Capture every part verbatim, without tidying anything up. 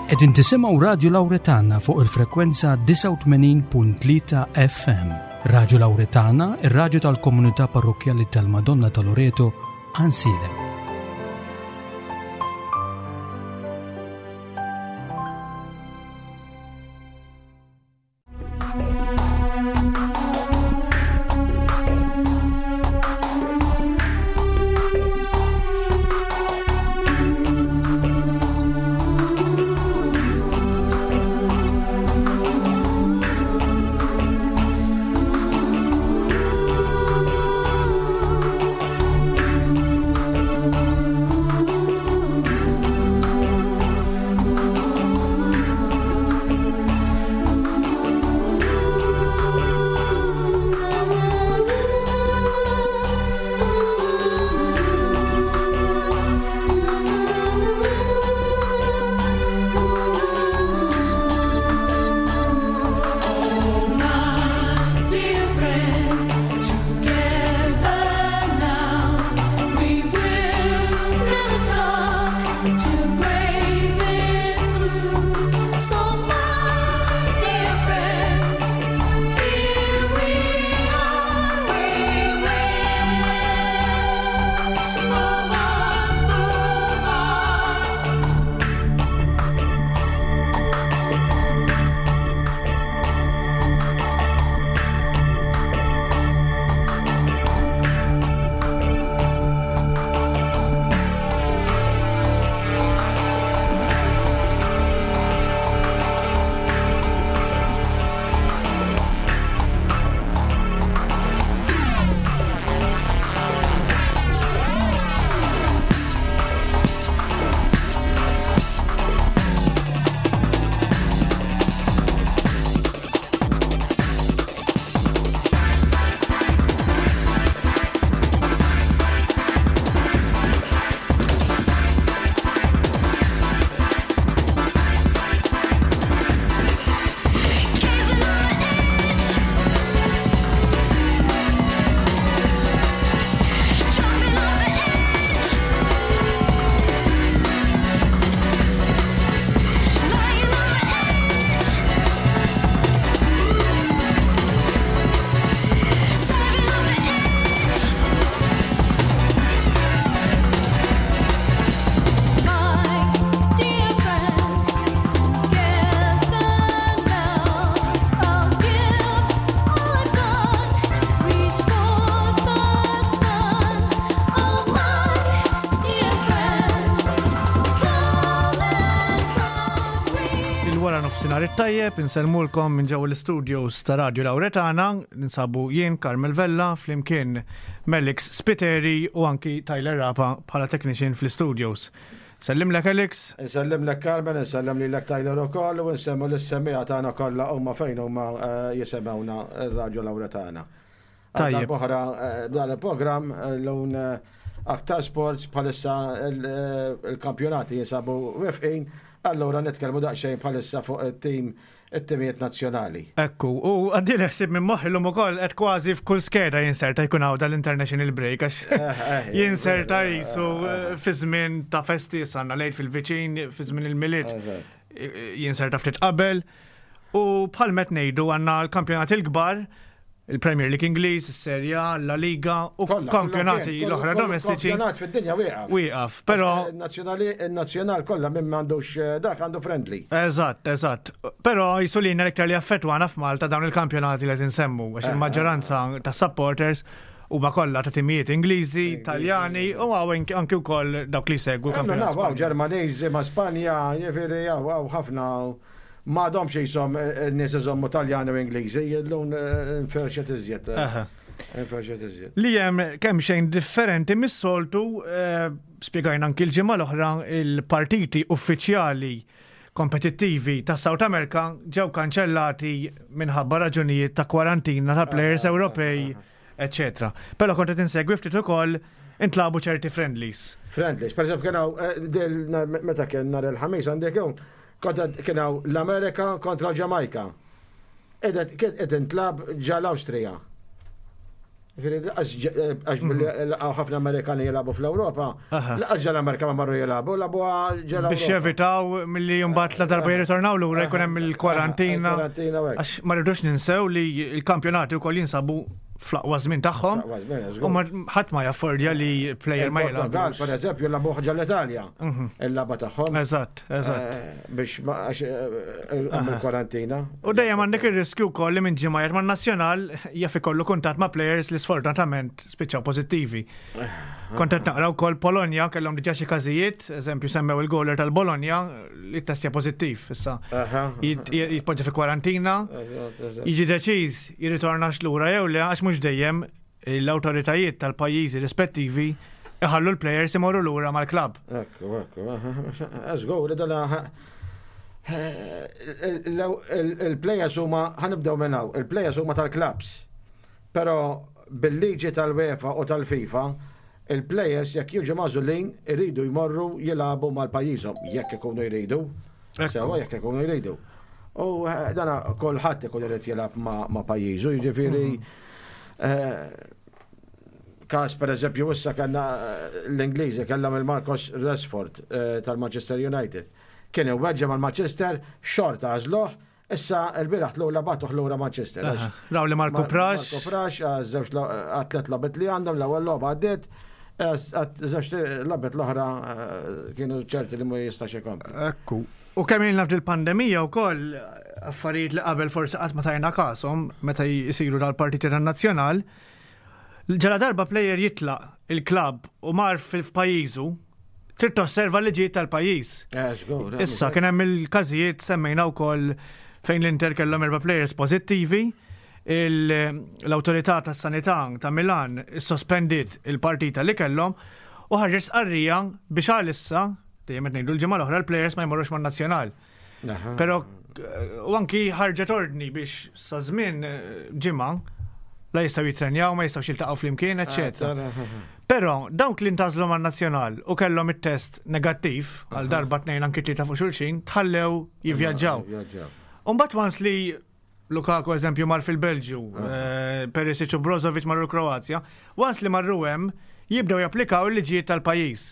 Qegħdin tisimgħu Radju Lawretana fuq il-frekwenza disgħa u tmenin punt tlieta F M. Radju Lawretana, ir-radju tal-komunità parrokkjali tal-Madonna ta' Loreto, Għajnsielem. Tajjeb, insellmulkom minn ġewwa l-studios ta' Radio Lawretana, ninsabu jien Carmel Vella, flimkien Melix Spiteri u anki Tyler Rapa bħala technician fl-studios. Sellimlek Alex. Insellimlek Carmen, insellem lilek Tyler ukoll u nsemmu lis-semmiegħa tagħna kollha huma fejn huma, eh, jisemgħuna r-Radio Lawretana. Tajjeb. Oħra, eh, dan il-programm, eh, l-un, eh, aktar sports bħalissa il-, eh, il-kampjonati jinsabu wifqin. Allora nitkellmu daqsxejn bħalissa fuq it-tim, it-timijiet nazzjonali. Ekku, u għaddi l-ħsieb minn moħħi llum ukoll qed kważi f'kull skeda jinserta jkun hawn dal-international break għax Eh, eh, jinserta eh, jisu eh, eh. fi żmien ta' festi sanna lejt fil-viċin, fi żmien il-Milied, Eżatt. jinserta ftit qabel. U bħal met ngħidu għandna l-kampjonati l-kbar, il-Premier League Ingliż, is-Serie A, La Liga u Kollha, kampjonati kollha, l-oħra kollha, domestiċi. Kampjonat fid-dinja wieqaf. Wieqaf, però Il-nazzjonali, il-nazzjonal kollha minn m'għandux, eh, dak għandu friendly. Eżatt, eżatt. Però jisulina l-iktar li affettwana f'Malta dawn il-kampjonati li qed insemmu, għax Eh, il-maġġoranza eh, eh. ta' supporters huma kollha ta' timijiet Ingliżi, Ingliżi, Taljani u hawn anki, anki wkoll dawk li segwu Għandu kampjonat. naf, hawn Ġermaniżi ma' Spanja, jiġifieri hawn, hawn ħafna m'għadhomx jisom, eh, n-nies iżommu Taljani u Ingliżi, jillun, eh, nferxet iżjed, eh. Aha. Nferxet iżjed. Li hemm kemm xejn differenti mis-soltu, eh, spjegajna anki l-ġimgħa l-oħra, il-partiti uffiċjali kompetittivi ta' South America ġew kanċellati minħabba raġunijiet ta' kwarantina ta' players Aha, Ewropej, aha. eccetera. Però kont qed insegwi ftit ukoll intlabu ċerti friendlies. Friendlies, per eżempju, kien hawn, eh, del, na-, meta kien nhar il-ħamis għandek hawn, kont qed kien hawn l-Amerika kontra l-Ġamajka. Edet, kien qed intlab ġa l-Awstrija. Għax billi laqgħu ħafna Amerikani jilagħbu fl-Ewropa, lanqas ġol-Amerika ma marru jilagħbu, lagħbu ġol. Biex jevitaw milli mbagħad la darba jirritornaw lura jkun hemm il-kwarantina. Għax ma rridux ninsew li l-kampjonati wkoll jinsabu fl-aqwa żmien tagħhom. U ħadd ma jaffordja li player ma jilgħab. Per eżempju, lagħbu ġol-Italja. Mhm. Il-lagħba tagħhom. Eżatt, eżatt. Eh, biex għax eh, il-kwarantina. U dejjem għandek ir-riskju wkoll li minn ġimgħa ma' nazzjonal jaf ikollu kuntatt ma' players li sfortunatament spiċċaw pożittivi. Kont qed naqra wkoll Polonja kellhom diġà xi każijiet, eżempju semmew il-goaler tal-Bologna li testja pożittiv issa. Jitpoġġa fi kwarantina, jiġi deċiż jirritornax lura jew le, għax mhux dejjem l-awtoritajiet tal-pajjiżi rispettivi iħallu l-players imorru lura mal-klabb. Ekku, ekku, żgur, dala il-players huma, ħa nibdew minn hawn, il-players huma tal-clubs. Però bil-liġi tal-UEFA u tal-FIFA, il-players jekk jiġu magħżulin iridu jmorru jilagħbu mal-pajjiżhom, jekk ikunu jridu. Sewa, jekk ikunu jridu. U eh, dana kulħadd ikun irid jilgħab ma' pajjiżu, jiġifieri mhm. eh, każ per eżempju issa kellna eh, l-Ingliżi kellhom il-Marcus Rashford tal-Manchester United. Kien iweġġa mal-Manchester, xorta għażluh. Issa il-bieraħ l bagħtuh lura Manchester. Raw li Marco Prax. Marco Prax, żewġ tliet logħbiet li għandhom, l-ewwel logħba għaddiet, żewġ logħbiet l-oħra eh, kienu ċerti li ma jistax ikompli. Ekku. U kemm ilna fil-pandemija wkoll affarijiet li qabel forsi qatt ma tajna kashom meta jisiru dal-partiti tan-nazzjonal, ġala darba player jitlaq il-klabb u mar fil-pajjiżu, trid tosserva liġijiet tal-pajjiż. Eh, żgur, eh, Issa kien hemm il-każijiet, semmejna wkoll fejn l-Inter kellhom erba' players pożittivi, l-awtorità tas-sanità ta' Milan sospendiet il-partita li kellhom u ħarġet stqarrija biex għalissa, dejjem qed ngħidu l-ġimgħa l-oħra, l-players ma jmorrux man-nazzjonal. Aha. Però eh, u anki ħarġet ordni biex sa żmien eh, ġimgħa la jistgħu jitrenjaw, ma jistgħux jiltaqgħu flimkien, eċċetera. Però dawk li ntgħażlu man-nazzjonal u kellhom it-test negattiv għal darba, tnejn, anki tlieta fuq xulxin, tħallew jivvjaġġaw. Jivvjaġġaw. Umbagħad once li Lukaku eżempju mar fil-Belġju, eh, Perisic u Brozovic marru l-Kroazja, once li marru hemm jibdew japplikaw il-liġijiet tal-pajjiż.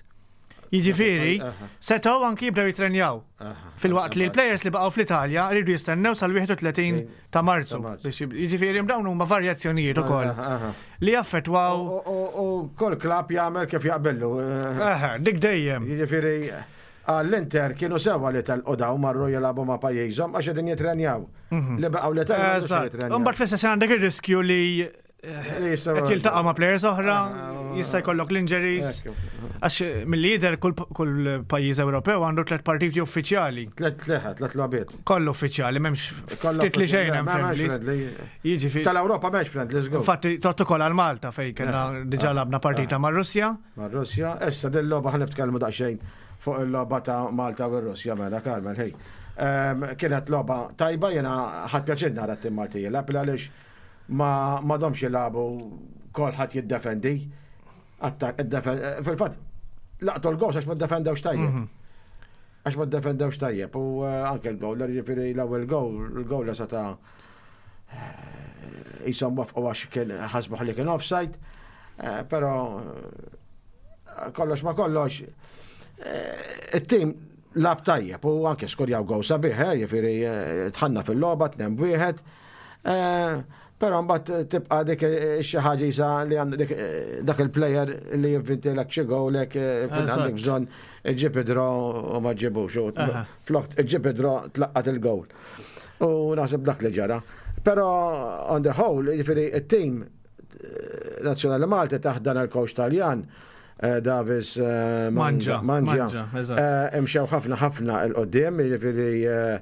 Jiġifieri, Aha. setgħu anki jibdew jitrenjaw. Aha. Filwaqt li l-players li baqgħu fl-Italja rridu jistennew sal-wieħed u tletin ta' Marzu. Ta' Marzu. Biex jib- Jiġifieri dawn huma varjazzjonijiet ukoll Aha, aha. li jaffettwaw. U- U u kull klabb jagħmel kif jaqbillu. Eh, Eħe, dik dejjem. Jiġifieri għall-Inter kienu sewa li telqu daw marru jilagħbu ma' pajjiżhom għax qegħdin jitrenjaw. Li baqgħu l-Italja ma Eżatt. jitrenjaw. Imbagħad fl-istess għandek ir-riskju li Li jistgħu- qed jiltaqa' ma' players oħra, Ah, jista' jkollok l-injuries. Ekku. Għax mill-lider kull kull pajjiż Ewropew għandu tliet partiti uffiċjali. Tlet leħa, tlet logħbiet. Kollu uffiċjali, m'hemmx Kollha ftit li xejn hemm Ma- m'hemmx friendlies. friendly. Jiġifieri. Tal-Ewropa m'hemmx friendly, żgur. Infatti tot ukoll għal Malta fejn kellna diġà lagħabna partita mar Russja. Ma' Russja, issa din logħba ħa nitkellmu daqsxejn fuq il-logħba ta' Malta u Russja mela, Carmel, hej. Ehm, Kienet logħba tajba, jiena ħadt pjaċir nara t-tim Malti jilgħab għaliex ma m'għadhomx jilagħbu kolħadd jiddefendi. Attak, id-defen- Fil-fatt, laqtu l-gowl għax ma ddefendewx tajjeb. Għax ma ddefendewx tajjeb u eh, anke l-gowl, ġifieri l-ewwel gowl, il-gowl seta' jisom wafqu għax kien ħasbuh li kien offside, eh, però eh, kollox ma kollox, eh, it-tim lagħab tajjeb u anke skorjaw gowl sabiħ, eh, jiġifieri eh, dħalna fil-logħba, tnejn b'wieħed, eh, però mbagħad tibqa' dik eh, xi ħaġa jisa li għandek dik, eh, dak il-player li jivvintilek xi gowl hekk eh, fejn Eżatt. għandek bżonn iġġib draw u ma ġibux. u Aha. Flok iġġib draw tlaqqat il-gowl. U naħseb dak li ġara. Però on the whole, jiġifieri it-team eh, nazzjonali Malti taħt dan il-coach Taljan, eh, Davis eh, Mangia, Mangia, Mangia, eżatt. eh, imxew ħafna ħafna 'l quddiem, jiġifieri eh,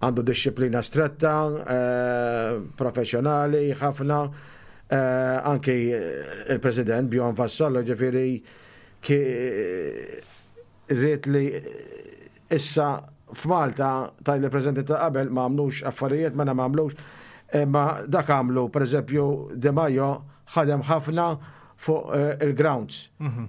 għandu disċiplina stretta, eh, professjonali ħafna, eh, anki eh, il-president Bjorn Vassallo, ġifieri ki rrit li issa f'Malta taj li presidenti ta' qabel ma għamlux affarijiet, ma ma għamlux, imma dak għamlu, per eżempju, De Maio ħadem ħafna fuq eh, il-grounds,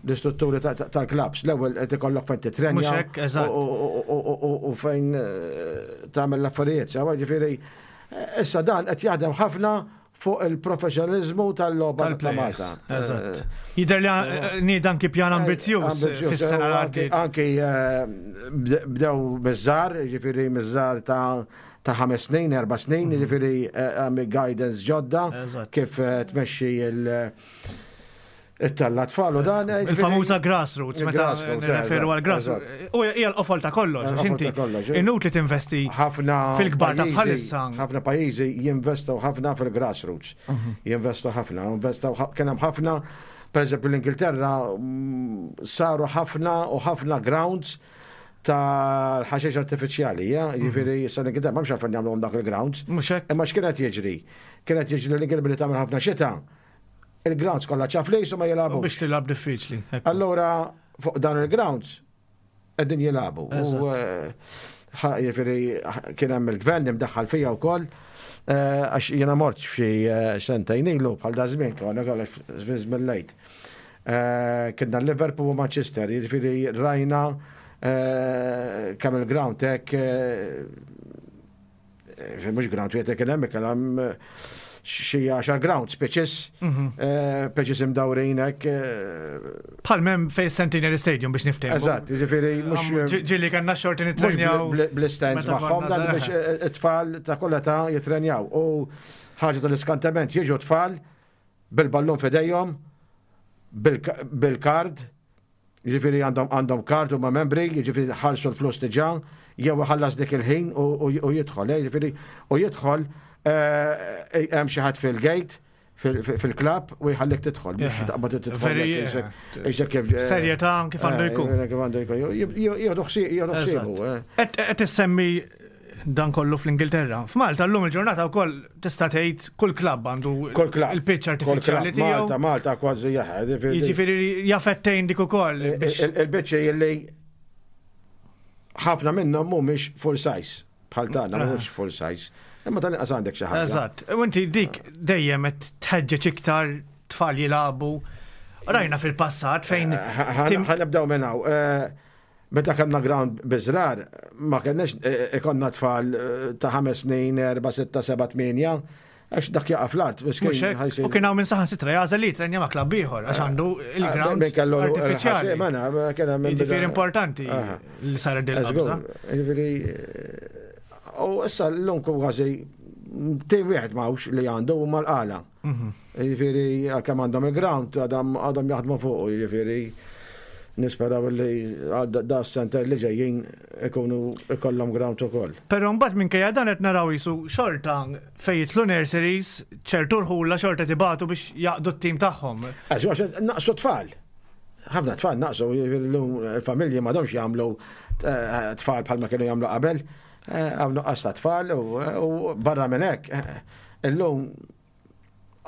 l-istrutturi ta- ta- tal-clubs. L-ewwel qed ikollok fejn titrenja Mhux hekk, eżatt. u- u- u- u- u fejn eh, tagħmel l-affarijiet. Sewa ġifieri eh, issa dan qed jaħdem ħafna fuq il-professjonalizmu tal-logħba ta' Tal-players. Malta. Eżatt. Jidher li eh, nieda anki pjan ambizzjuż fis-sena li għaddiet. Anki eh, bde- bdew miż-żgħar, ġifieri miż-żgħar ta' ta' ħames snin, erba' snin, ġifieri eh, għami guidance ġodda Eżatt. kif eh, tmexxi il- it-tella tfal u dan. eh, ġifieri- Il-famuża grassroots, meta Il-grassroots, nirreferu eżatt, għal grassroots. U hija l-qofol ta' kollox, għax Il-qofol inti ta' kollox, eh. inutli tinvesti ħafna fil-kbar ta' pajjiżi- bħalissa. ħafna pajjiżi jinvestu ħafna fil-grassroots. Jinvestu ħafna, investu kien hemm ħafna, per eżempju l-Ingilterra mm, saru ħafna u ħafna grounds tal-ħaxix artifiċjali, ja? Jiġifieri sa l-Ingilterra ma għalfejn jagħmluhom dak il-grounds. Mhux hekk? Imma x'kienet jiġri? Kienet jiġri l-Ingilterra billi tagħmel ħafna xita. Il-grounds kollha ċaflis u ma jilagħbu. Biex tilgħab diffiċli. Ekku. Allora, fuq dan il-grounds, qegħdin jilagħbu. U eh, ħa- jiġifieri kien hemm il-gvern imdaħħal fija wkoll, eh, għax jiena mort f'xi eh, sentejn ilu bħal da żmien konna kollha żmien lejt. Eh, Kienna Liverpool u Manchester, jiġifieri rajna eh, kemm il-ground hekk eh, eh, mhux ground wieħed kien hemm kien hemm eh, xi għaxar grounds, pitches, eh, pitches imdawrin hekk. eh, Bħal mem fej Centenary Stadium biex niftehmu. Eżatt, jiġifieri mhux Ġi- Ġieli kellna xorti mhux nitrenjaw. bl-stands meta magħhom konna dan żgħar. biex eh, it-tfal ta' kollha ta' jitrenjaw. U ħaġa tal-iskantament jiġu tfal bil-ballun f'idejhom, bil- bil-kard, jiġifieri għandhom għandhom kard huma membri, jiġifieri ħallsu l-flus diġà, jew ħallas dik il-ħin u u- u jidħol, eh, jiġifieri u jidħol eh, hemm xi ħadd fil-gate fil-klab u jħallik tidħol, biex Yeah. taqbad tidħol. Very, hekk, yeah. isek kif- eh, Serjetà kif għandu eh, jkun. Kif għandu jkun. Jieħdu ħsiebu. eh. Qed qed issemmi dan kollu fl-Ingilterra. F'Malta llum il-ġurnata wkoll tista' tgħid kull klabb għandu Kull klabb. il-pitch Kull klabb. artifiċjali tiegħu. Malta, Malta kważi jaħed. Jiġifieri jafettejn dik ukoll biex Il-biċċi illi ħafna minnhom mhumiex full size. Bħal tagħna Ah. mhumiex full size. Imma tal-inqas għandek xi ħaġa. Eżatt. U inti dik dejjem qed tħeġġeġ iktar tfal jilagħbu. Rajna fil-passat fejn tim- Ħa nibdew minn hawn. Eh, Meta kellna ground biż-żrar, ma kenniex eh, ikonna tfal eh, ta' ħames snin, erba', sitta, seba', tmienja, għax dak jaqa' fl-art. miskin, Mhux hekk, ħajsir- U kien hawn minn saħansitra jagħżel li jitrenja ma' klabb ieħor għax għandu il-ground Min kellu artifiċjali. Mena, kien hemm Jiġifieri importanti Aha. li saret din Let's go. il-qabża. Jiġifieri, eh, u issa l-lum kważi tim wieħed m'hawnx li għandu u mal-qala. Mhm. Jiġifieri għalkemm għandhom il-ground għadhom għadhom jaħdmu fuq, jiġifieri nisperaw li għal da- da s-senter li ġejjin ikunu ikollhom ground ukoll. Però mbagħad minkejja dan qed naraw jisu xorta fejn jitlu nurseries, ċertu rħula xorta tibatu biex jaqdu t-tim tagħhom. Għax għax naqsu tfal. Ħafna tfal naqsu, jiġifieri llum il-familji m'għadhomx jagħmlu eh, tfal bħalma kienu jagħmlu qabel. Eh, Hawn nuqqas ta' tfal u u barra minn hekk. eh, Illum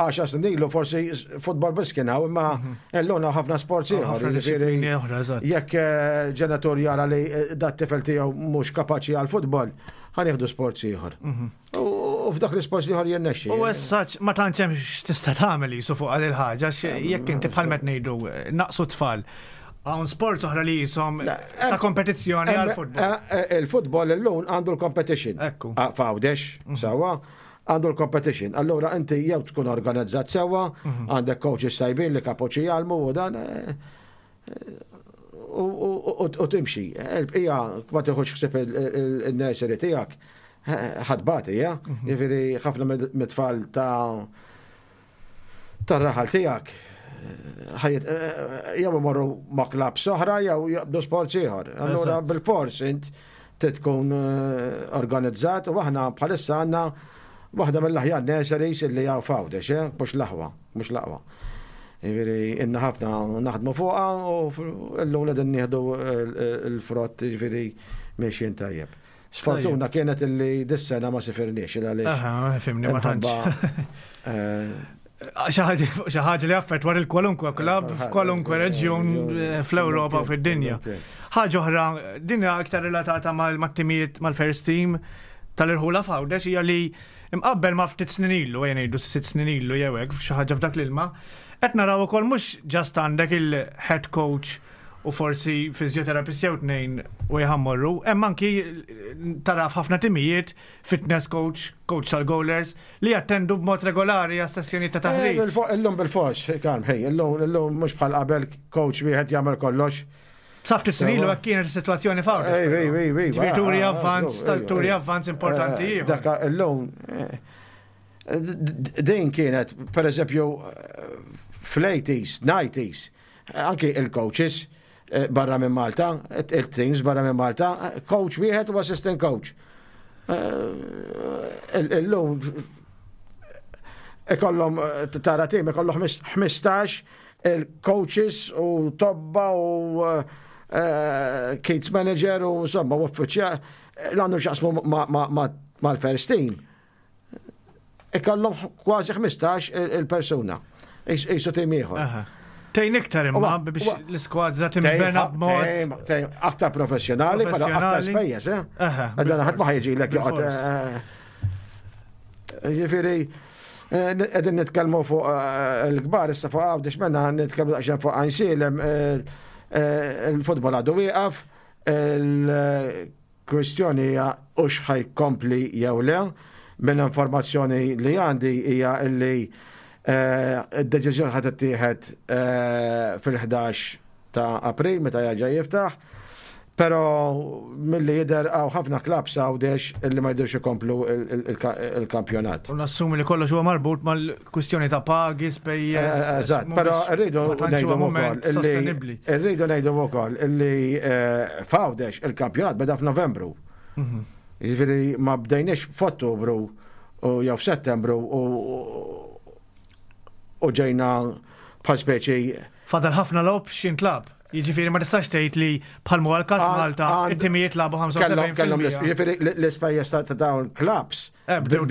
għaxar snin ilu forsi futbol biss kien hawn, imma illum hawn ħafna sports ieħor. Ħafna jiġifieri disciplini oħra, eżatt. Jekk eh, ġenitur jara li eh, dat tifel tiegħu mhux kapaċi għal futbol, ħa nieħdu sports ieħor. U u f'dak l-isports ieħor jirnexxi. U essaċ, ma tantx hemm x'tista' tagħmel jisu fuq għal il-ħaġa, għax jekk inti bħal meta ngħidu eh, naqsu tfal. Hawn sports oħra li jisom ta' kompetizzjoni għal futbol. Eh, eh, Il-futbol illum għandu l-competition. Ekku. Ah, F'Għawdex, sewwa, għandu l-competition. Allura inti jew tkun organizzat sewwa, għandek coaches tajbin li kapaċi jgħallmu u dan eh, eh, u- u u- u timxi. Il-bqija ma tieħux ħsieb il-nursery tiegħek ħadbati, ja? Jiġifieri ħafna mit-tfal ta' tar-raħal tiegħek ħajt jew imorru ma' klabb oħra jew jaqbdu sports ieħor. Allura Eżatt. bil-fors int trid tkun eh, organizzat u aħna bħalissa għandna waħda mill-aħjar nurseries illi hawn f'Għawdex, eh? mhux l-aħwa, mhux l-aqwa. Jiġifieri inna ħafna naħdmu fuqha u llum qegħdin nieħdu il-frott jiġifieri miexjin tajjeb. Sfortuna kienet illi dis-sena ma sifirniex il għaliex. Aha, fimni ma tantx. Imħabba, eh, Xi ħaġa li affettwar il-kwalunkwe klabb f'kwalunkwe reġjun eh, fl-Ewropa u fid-dinja. Ħaġa oħra, din hija aktar relatata mal-timijiet mal-first team tal-irħula f'Għawdex hija li imqabbel ma' ftit snin ilu, ejja ngħidu sitt snin ilu jew hekk f'xi ħaġa f'dak l-ilma, qed naraw ukoll mhux just għandek il-head coach u forsi fizjoterapist jew tnejn u jħammorru. Hemm anki taraf ħafna timijiet, fitness coach, coach tal-goalers, li jattendu b'mod regolari għas sessjoni ta' taħriġ. Eh, illum bil-fors, Karm, ħej, illum illum mhux bħal qabel coach wieħed jagħmel kollox. Sa ftit snin ilu hekk kienet is-sitwazzjoni f'Għawdex. Ej, ej, ej, ej. Ġifieri turi avvanz, turi avvanz importanti eh, ieħor. Dak illum eh, din kienet, per eżempju, fl-eighties, nineties, anki il-coaches eh, barra minn Malta, il-teams barra minn Malta, coach wieħed u assistant coach. Eh, illum ikollhom tara tim ikollhom ħmistax il-coaches u tobba u eh, kits manager u insomma u uffiċjal l-għandu x'jaqsmu mal-first team. Ikollhom kważi ħmistax il-persuna. Isu tim ieħor. Tgħin iktar imma biex l-iskwadra timbena b'mod. Aktar professjonali, però aktar spejjeż, eh? Għadna ħadd ma ħajġilek joqgħod. Eh, ġifieri, eh, qegħdin nitkellmu fuq eh, il-kbar issa fuq Għawdex menna nitkellmu daqsxejn fuq Għajnsielem, il-futbol għadu wieqaf, il-kwistjoni hija hux ħa jkompli jew le. Minn informazzjoni li għandi hija illi id-deċiżjoni ħa tittieħed fil-ħdax ta' April meta jerġa' jiftaħ. Pero milli jidher hawn ħafna klabs Għawdex illi ma jridux ikomplu il-kampjonat. U nassumi li kollox huwa marbut mal-kwistjoni ta' pagi, spejjeż. Eżatt, però rridu ngħidu wkoll illi rridu ngħidu wkoll illi f'Għawdex il-kampjonat beda f'Novembru. Mhm. Jiġifieri ma bdejniex f'Ottubru u jew f'Settembru u ġejna bħal speċi. Fadal ħafna logħob x'jintlagħab. Jiġifieri ma tistax tgħid li bħal huwa l-każ Malta it-timijiet lagħbu ħamsa u sebgħin. Kellhom jiġifieri l-ispejjeż ta' dawn clubs eh, bdew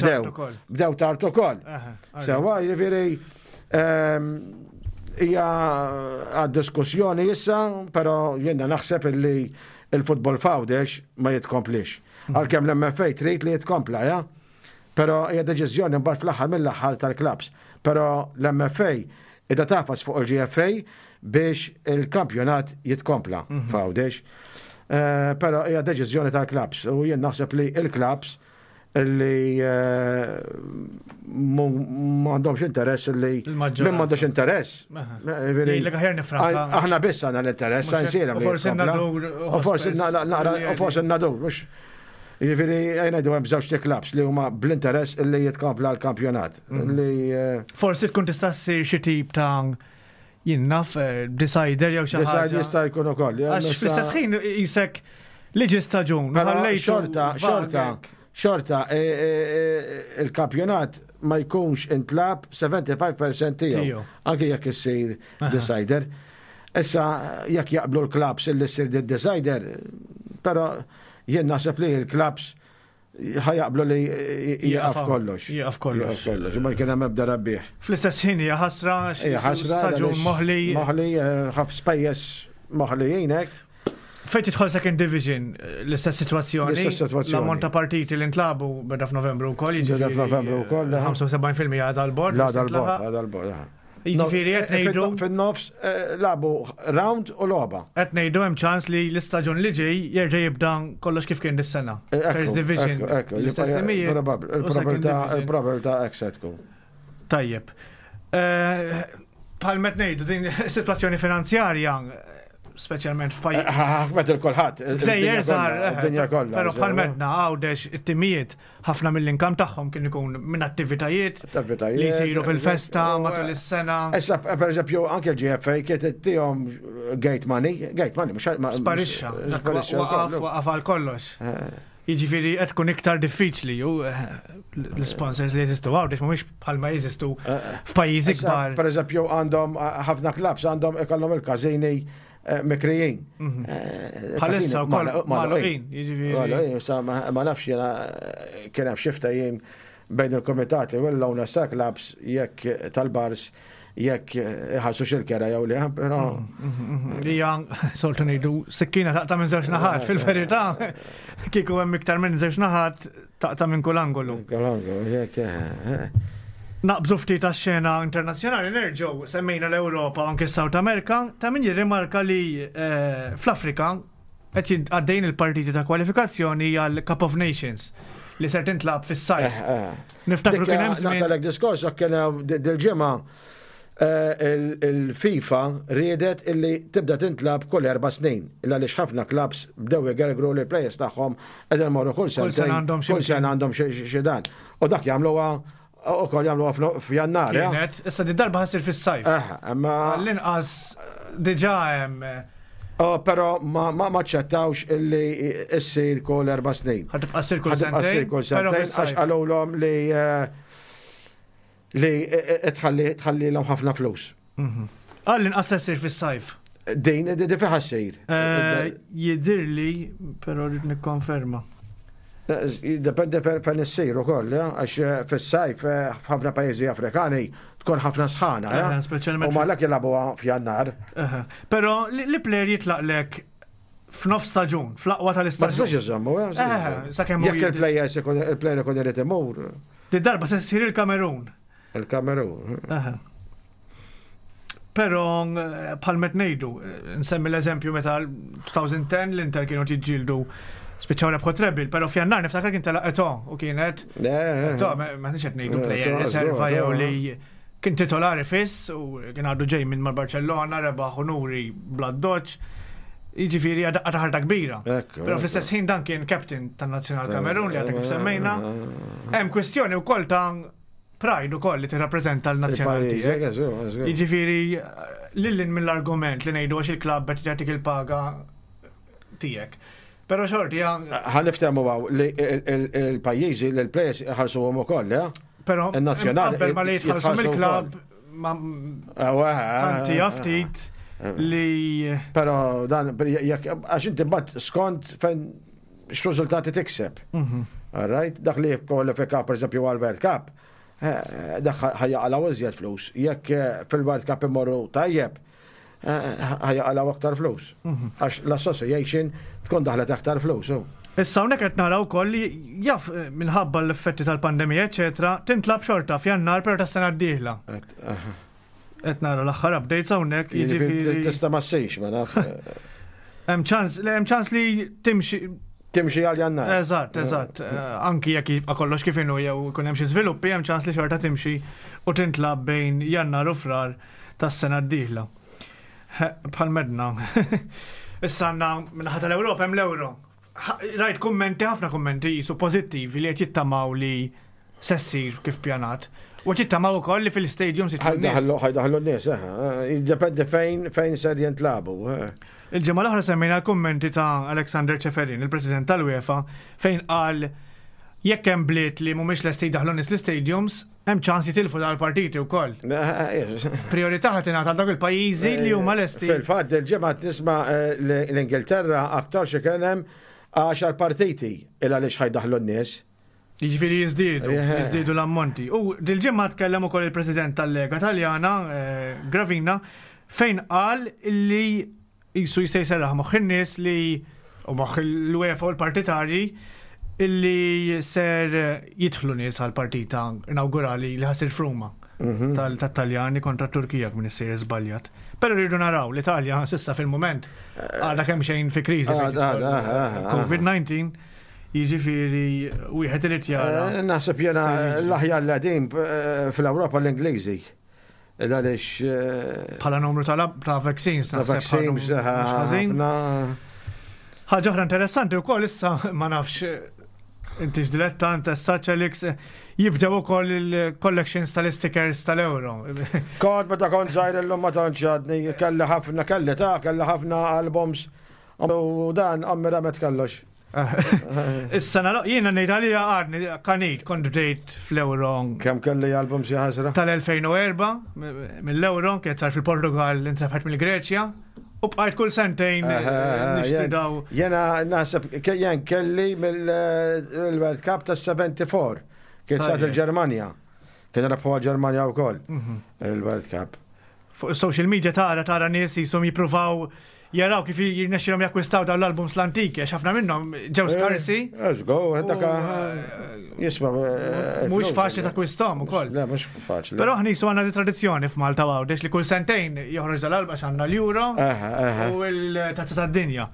bdew tard ukoll. Sewa jiġifieri ehm, hija għad-diskussjoni issa, però jiena naħseb illi il-futbol f'Għawdex ma jitkomplix. Mhm. Għalkemm l-M F A trid li jitkompla, ja? Però hija deċiżjoni mbagħad fl-aħħar mill-aħħar tal-clubs. Però l-M F A qiegħda tagħfas fuq il-G F A biex il-kampjonat jitkompla mhm. f'Għawdex. Eh, però hija deċiżjoni tal-clubs u jien naħseb li il-clubs li eh, m'għandhomx interess li min m'għandux interess. Aħna biss għandna l-interess, Għajnsielem. U forsi naqra, u forsi Nadur, mhux. Jiġifieri ngħidu hemm żewġ clubs li huma bl-interess li jitkompla l-kampjonat. Mhm. Li eh, Forsi tkun tista' ssir xi tip ta' jien naf eh, decider jew xi Decider ħaġa. jista' jkun ukoll. Għax fl-istess ħin jisek li ġi staġun. Però ħallejtu xorta, xorta, vagek. xorta, e, e, e, il-kampjonat ma jkunx intlagħab sebgħa u ħamsin fil-mija tiegħu. Tiegħu. Anke jekk issir decider. Issa jekk jaqblu l-clubs illi ssir decider, però jien naħseb li l-clubs ħa jaqblu li jieqaf kollox. Jieqaf kollox. Jieqaf kollox. Ma kien hemm ebda rebbieħ. Fl-istess ħin hija ħasra għax Hija ħasra staġun għaliex moħli. Moħli, eh, ħaf spejjeż moħlijin hekk. Fejn tidħol second division, l-istess situazzjoni. L-istess sitwazzjoni. L-ammont ta' partiti li ntlagħbu beda f'Novembru wkoll, Beda jiġifieri, f'Novembru wkoll, aha. ħamsa u sebgħin fil-mija għadha l-bord. La dal-bord, għadha l-bord. aha. Jiġifieri qed No, ngħidu fin-nofs eh, lagħbu round u logħba. Qed ngħidu hemm ċans li l-istaġun li ġej jerġa' jibda kollox kif kien dis-sena. Eh, ekku, First division, ekku, ekku, l-istess timijiet u second Il-probabilità division. il-probabilità hekk se tkun. Tajjeb. Eh, Bħal met ngħidu din is-sitwazzjoni finanzjarja, speċjalment f'pajjiż Ħakmet il-kulħadd. Gżejjer żgħar, Id-dinja kollha. Però bħal medna Għawdex it-timijiet ħafna mill-income tagħhom kien ikun minn attivitajiet Attivitajiet. li jsiru fil-festa U, matul is-sena. Issa, per eżempju, anke l-G F A kienet tihom gate money, gate money, mhux ma- Sparixxa, dak Sparixxa waqaf wkoll. waqaf għal kollox. Eh, Jiġifieri qed tkun iktar diffiċli u eh, l-sponsors li jeżistu Għawdex mhumiex bħalma jeżistu eh, f'pajjiżi Issa, kbar. Per eżempju, għandhom eh, ħafna clubs għandhom ikollhom il-każini eh, mikrijin. Mhm. Eh, Bħalissa każini wkoll magħluqin. magħluqin, jiġifieri. Magħluqin, sa ma ma nafx jiena eh, kien hemm xi ftehim bejn il-komitati u l-owners ta' clubs jekk tal-bars jekk iħallsu xil-kera jew le, però Hija soltu ngħidu sikkina taqta' minn żewġ naħat, fil-verità kieku hemm iktar minn żewġ naħat taqta' minn kull angolu. Kalango, jekk eh, eh. Naqbżu ftit għax-xena internazzjonali, nerġgħu semmejna l-Ewropa u anke South America, ta' min jirrimarka li eh, fl-Afrika qed għaddejn il-partiti ta' kwalifikazzjoni għal Cup of Nations li ser tintlab fis-sajf. Eh, eh. Niftakru kien hemm żmien. Naqtagħlek diskors, kien hemm dil-ġimgħa il-FIFA riedet illi tibda tintlab kull erba' snin. Illa li ħafna clubs bdew igergru li players tagħhom qegħdin morru kull sena għandhom kull sena għandhom xi dan. U dak jagħmluha ukoll jagħmluha f'Jannar. Kienet, issa di darba ħa ssir fis-sajf. Imma L-inqas diġà hemm. Oh, pero ma ma aċċettawx illi issir kull erba' snin. Ħa tibqa' ssir kull sentejn. Kull sentejn għax qalulhom li li tħalli tħalli l ħafna flus. Għall-inqas ssir fis-sajf. Din, di fejn ħa ssir. Jidirli, pero rrid nikkonferma. Dependi fejn issir ukoll, għax fis-sajf f'ħafna pajjiżi Afrikani tkun ħafna sħana. Speċjalment. U malak jilagħbuha f'Jannar. Però li player jitlaqlek f'nof staġun, fl-aqwa tal-istaġun. Ma tistax iżommu, sakemm jekk il-player il-player ikun irid imur. Di darba se ssir il-Kamerun. Il-Kamerun. Pero bħal met ngħidu, nsemmi l-eżempju meta elfejn u għaxra l-Inter kienu jiġġieldu, spiċċaw rebħu treble, pero f'Jannar niftakar kien telaq Eto'o u kienet Eto'o, ma nix qed ngħidu player riserva jew li kien titolari fiss u kien għadu ġej minn mal-Barcellona, rebaħ unuri bla doċ. Jiġifieri għadaqqa ta' ħarta kbira. Pero fl-istess ħin dan kien captain tan-Nazzjonal Kamerun li għadek kif semmejna. Hemm kwestjoni wkoll ta' pride ukoll li tirrappreżenta l-nazzjonal tiegħek. Jiġifieri lil hinn mill-argument li ngħidu għax il-klabb qed jagħtik il-paga tiegħek. Pero xorti Ħa niftehmu hawn li il-pajjiżi li l-players ħarsuhom ukoll, eh? Pero il-nazzjonali qabel ma li jitħallsu mill-klabb ma tanti ftit li Pero dan jekk għax inti mbagħad skont fejn x'riżultati tikseb. Mhm. All right? Dak li jikkwalifika pereżempju għal World Cup, eh, dak ħa jaqilgħu iżjed flus. Jekk eh, fil-World Cup imorru tajjeb, eh, ħa jaqilgħu aktar flus. Mhm. Għax l-association tkun daħlet aktar flus. oh. Issa hawnhekk qed naraw ukoll li jaf eh, minħabba l-effetti tal-pandemija, eċetera, tintlab xorta f'Jannar per tas-sena d-dieħla. Et, aha. Qed nara l-aħħar updates hawnhekk, Jiġifieri jiġifieri tista' ma ssirx, ma naf. Hemm ċans, le hemm ċans li timxi Timxi għal Jannar. Eżatt, eżatt. Eh, Anki jekk jibqa' kollox kif inhu jew ikun hemm xi żviluppi, hemm ċans li xorta timxi u tintlab bejn Jannar u Frar tas-sena d-dieħla. Bħal medna. Issa għandna minnaħa tal-Ewropa hemm l-Euro. Rajt kummenti, ħafna kummenti jisu pożittivi li qed jittamaw li se ssir kif pjanat. U qed jittamaw ukoll li fil-stadium se Ħa jdaħħlu ħa jdaħħlu n-nies, eh, jiddependi fejn fejn ser jintlabu. eh. Il-ġimgħa l-oħra semmejna l-kummenti ta' Alexander Ceferin, il-President tal-UEFA, fejn qal jekk hemm bliet li mhumiex lesti jdaħlu nies l-stadiums, hemm ċans jitilfu dal-partiti wkoll. Priorità ħa tingħata għal dawk il-pajjiżi li huma lesti. Fil-fatt, il-ġimgħa tisma' eh, l-Ingilterra aktar xi kien hemm għaxar partiti il għaliex ħa jdaħħlu n-nies. Jiġifieri jiżdiedu, Eh. jiżdiedu l-ammonti. U dil-ġimgħa tkellem ukoll il-President tal-Lega Taljana, eh, Gravina, fejn qal li jisu jista' jserraħ moħħ in-nies li u moħħ l-UEFA u l-partitarji illi ser jidħlu nies għal partita inaugurali li ħa ssir f'Ruma Mhm. tal-Taljani kontra Turkija minn issir żbaljat. Però rridu naraw l-Italja s'issa fil-moment għadha kemm xejn fi kriżi fejn Għad, għad, tidħol ah, ah, ah. COVID nineteen, jiġifieri wieħed irid jara. Eh, Naħseb jena Se jiġri. l-aħjar l-għadim fl-Ewropa l-Ingliżi. Għaliex eh, Bħala numru ta' ta' vaccines ta' naħseb ħadu vaccines mhux ħażin. ħafna. Ħaġa oħra interessanti wkoll issa, ma nafx inti x'dilettant essa Alex, jibdew ukoll il-collections tal-stickers tal-Euro. Kont meta kont żgħir, illum ma tantx għadni, kelli ħafna, kelli ta' kelli ħafna albums u dan għammi ramet kollox. Issa nara jiena ngħid għalija għadni kanit kont bdejt fl-Euro Kemm kelli albums, ja ħasra? tal-elfejn u erbgħa mill-Euro kienet sar fil-Portugal, intrebħet mill-Greċja u bqajt kull sentejn nixtri daw. Jena naħseb jien kelli mill-World Cup tas sebgħa u sebgħin kien sar Tajjeb. il-Ġermanja. Kien rebħu għal-Ġermanja wkoll Mhm. il-World Cup. Fuq social media tara tara nies jisom jippruvaw jaraw kif jirnexxilhom jakkwistaw dawn l-albums l-antiki, għax ħafna minnhom ġew skarsi. Let's go, dak jisma. Mhux faċli takkwisthom ukoll. Le, mhux faċli. Però aħna jisu għandna di tradizzjoni f'Malta Għawdex li kull sentejn joħroġ dal-album għax għandna l-Euro u l-Tazza tad-Dinja.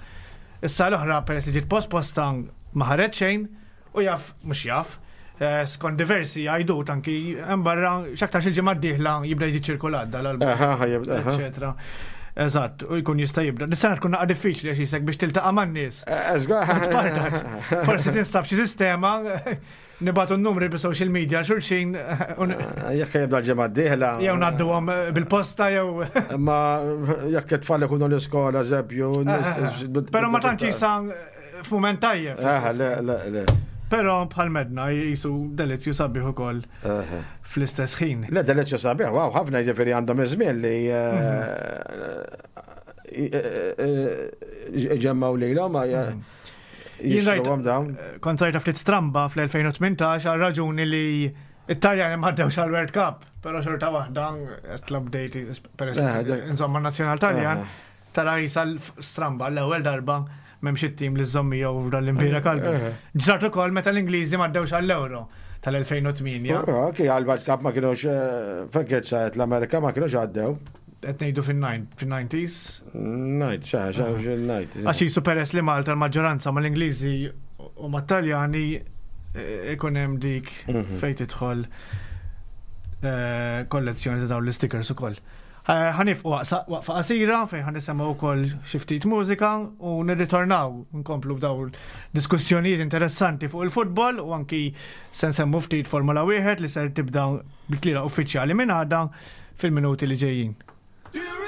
Issa l-oħra peress li ġiet posposta ma ħareġ xejn u jaf mhux jaf. Skont diversi għajdut anki hemm barra x'aktarx il-ġimgħa d-dieħla jibda jiġi ċirkulat dal-album. Eċetera. Eżatt, u jkun jista' jibda. Dis-sena tkun naqa' diffiċli għax jisek biex tiltaqa' man-nies. Forsi tinstab xi sistema nibatu n-numri bi social media xulxin. Jekk jibda l-ġimgħa d-dieħla. Jew ngħadduhom bil-posta jew. Ma jekk it-tfal ikunu l-iskola eżempju. Però ma tantx jisa f'mument tajjeb. Le, le, le. Però bħal medna jisu delizzju sabiħ ukoll fl-istess ħin. Le delizzju sabiħ, wow, ħafna jiġifieri għandhom iż-żmien li ġemmaw lilhom jixtruhom dawn. Kont sajta ftit stramba fl-elfejn u tmintax għal raġuni li it-Taljani ma ħaddewx għal World Cup, però xorta waħda qed l-update peress insomma nazzjonal Taljan tara jisa stramba l-ewwel darba m'hemmx it-tim li żommi jew l-Impira Kalbi. Ġrat ukoll meta l-Ingliżi m'għaddewx għall-Euro tal-elfejn u tmienja. Okej, għall-World Cup ma kienux fejn saret l-Amerika ma kienux għaddew. Qed ngħidu fin-nineties. Night, xa, xa, night. Għax jisu peress li Malta l-maġġoranza mal-Ingliżi u mat-Taljani ikun hemm dik fejn tidħol kollezzjoni ta' dawn l-stickers ukoll. Ħanifqu waqfa qasira fejn ħanisemgħu wkoll xi ftit mużika u nirritornaw nkomplu b'dawn diskussjonijiet interessanti fuq il-futbol u anki se nsemmu ftit Formula wieħed li ser tibda bit-tlielaq uffiċjali minn għada fil-minuti li ġejjin. Go,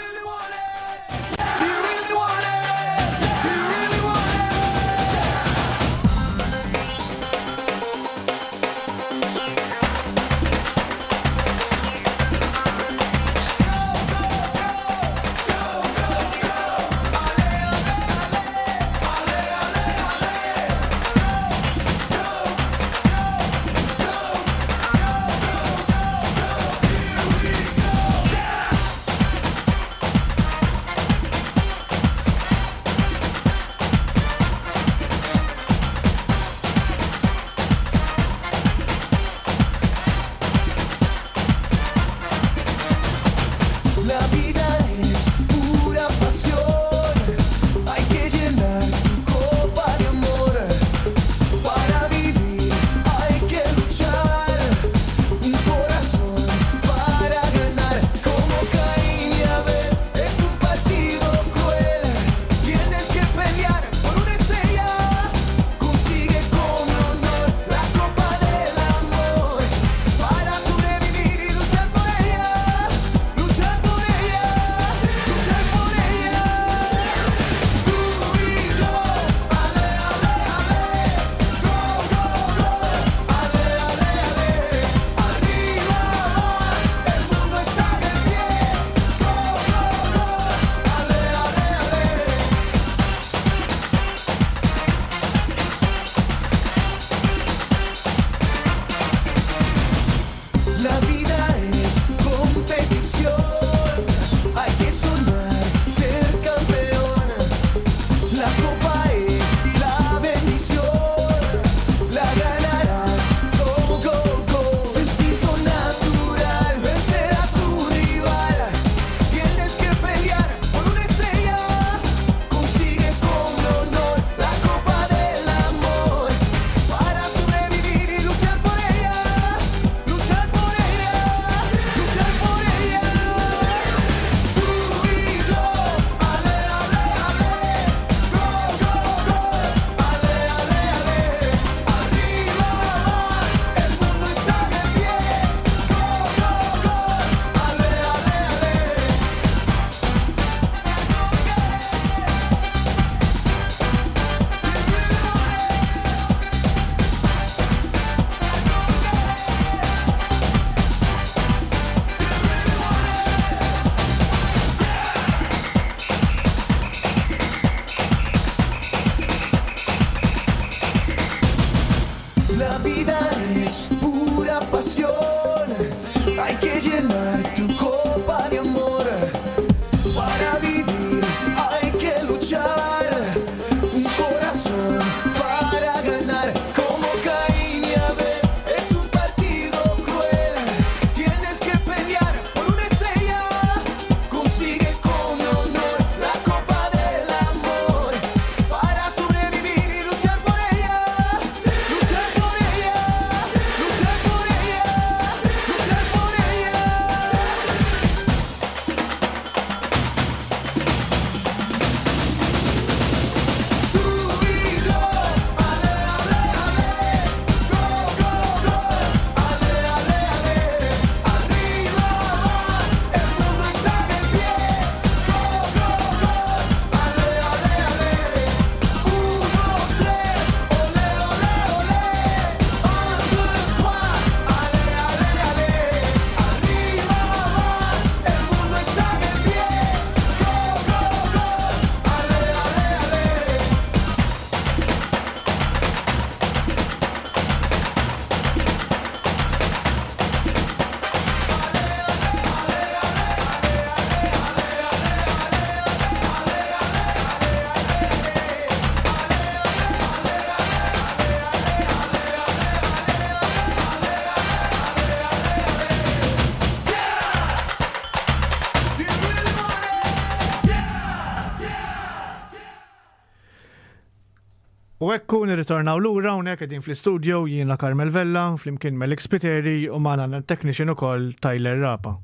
U ekku nirritornaw lura hawnhekk qegħdin fl-istudio jiena Carmel Vella, flimkien Melix Spiteri u magħna technician ukoll Tyler Rapa.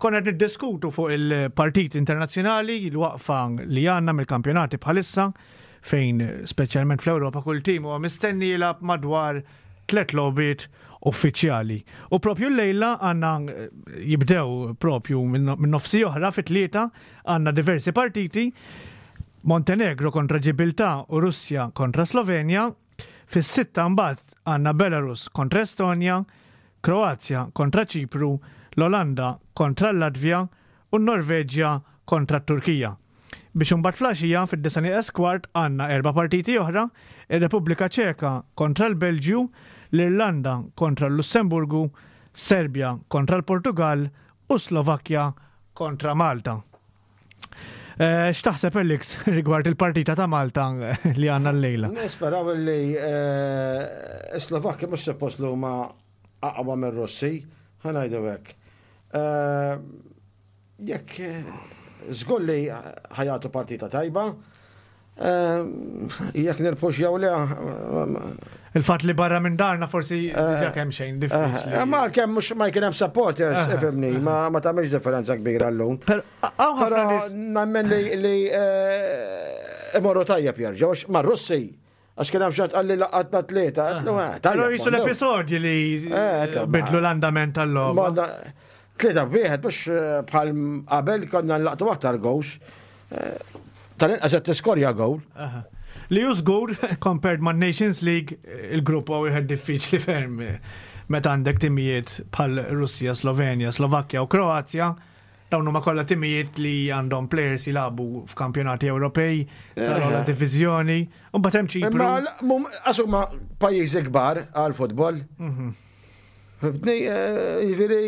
Konna qed niddiskutu fuq il-partit internazzjonali, il-waqfa li għandna mill-kampjonati bħalissa, fejn speċjalment fl-Ewropa kull tim huwa mistenni jilgħab madwar tliet logħbiet uffiċjali. U propju l-lejla għandna jibdew propju minn nofsi oħra fit-tlieta għandna diversi partiti Montenegro kontra Ġibiltà u Russja kontra Slovenja. Fis-sitta mbagħad għandna Belarus kontra Estonja, Kroazja kontra Ċipru, l-Olanda kontra l-Latvja u n-Norveġja kontra t-Turkija. Biex imbagħad filgħaxija fid-disgħa nieqes kwart għandna erba' partiti oħra, ir-Repubblika Ċeka kontra l-Belġju, l-Irlanda kontra l-Lussemburgu, Serbja kontra l-Portugal u Slovakkja kontra Malta. Eh, x'taħseb Alex rigward il-partita ta' Malta li għandna l-lejla? Nisperaw li eh, Slovakkja mhux suppost li huma aqwa mir-Russi, ħa ngħidu hekk. Eh, jekk żgur li ħa jagħtu partita tajba, jekk nirbħux jew le. Il-fatt li barra minn darna forsi diġà kemm xejn diffiċli. Ma kemm mhux ma jkun hemm supporters, ifhimni, ma ma tagħmilx differenza kbira llum. Però nemmen li li imorru tajjeb jerġgħu ma' Russi. Għax kien hemm xi qalli laqatna tlieta. Però jisu l-episodji li bidlu l-andament tal-logħba. Tlieta wieħed mhux bħal qabel konna nlaqtu aktar goals. Tal-inqas qed tiskorja goal. Li ju żgur, compared ma' Nations League, il-grupp huwa wieħed diffiċli ferm meta għandek timijiet bħal Russja, Slovenja, Slovakkja u Kroazja. Dawn huma kollha timijiet li għandhom players jilagħbu f'kampjonati Ewropej tal-ogħla diviżjoni. U mbagħad hemm Ċipru. Imma għax huma pajjiżi kbar għall-futbol. Jiġifieri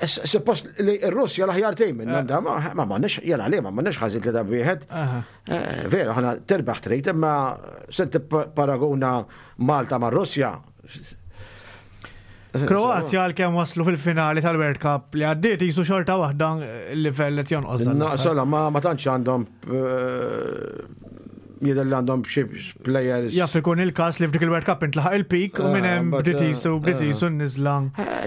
suppost li r-Russja l-aħjar tim minn ma ma m'għandniex jela li ma m'għandniex ħażin tlieta wieħed. Veru, ħana terbaħ trid, imma se paraguna Malta ma' Russja. Kroazja għalkemm waslu fil-finali tal-World Cup li għaddiet jisu xorta waħda il-livell qed jonqos. Naqsola ma ma tantx għandhom jidher li għandhom xi players. Jaf ikun il-każ li f'dik il-World Cup intlaħaq il-peak u minn hemm bdiet jisu bdiet jisu n-niżla.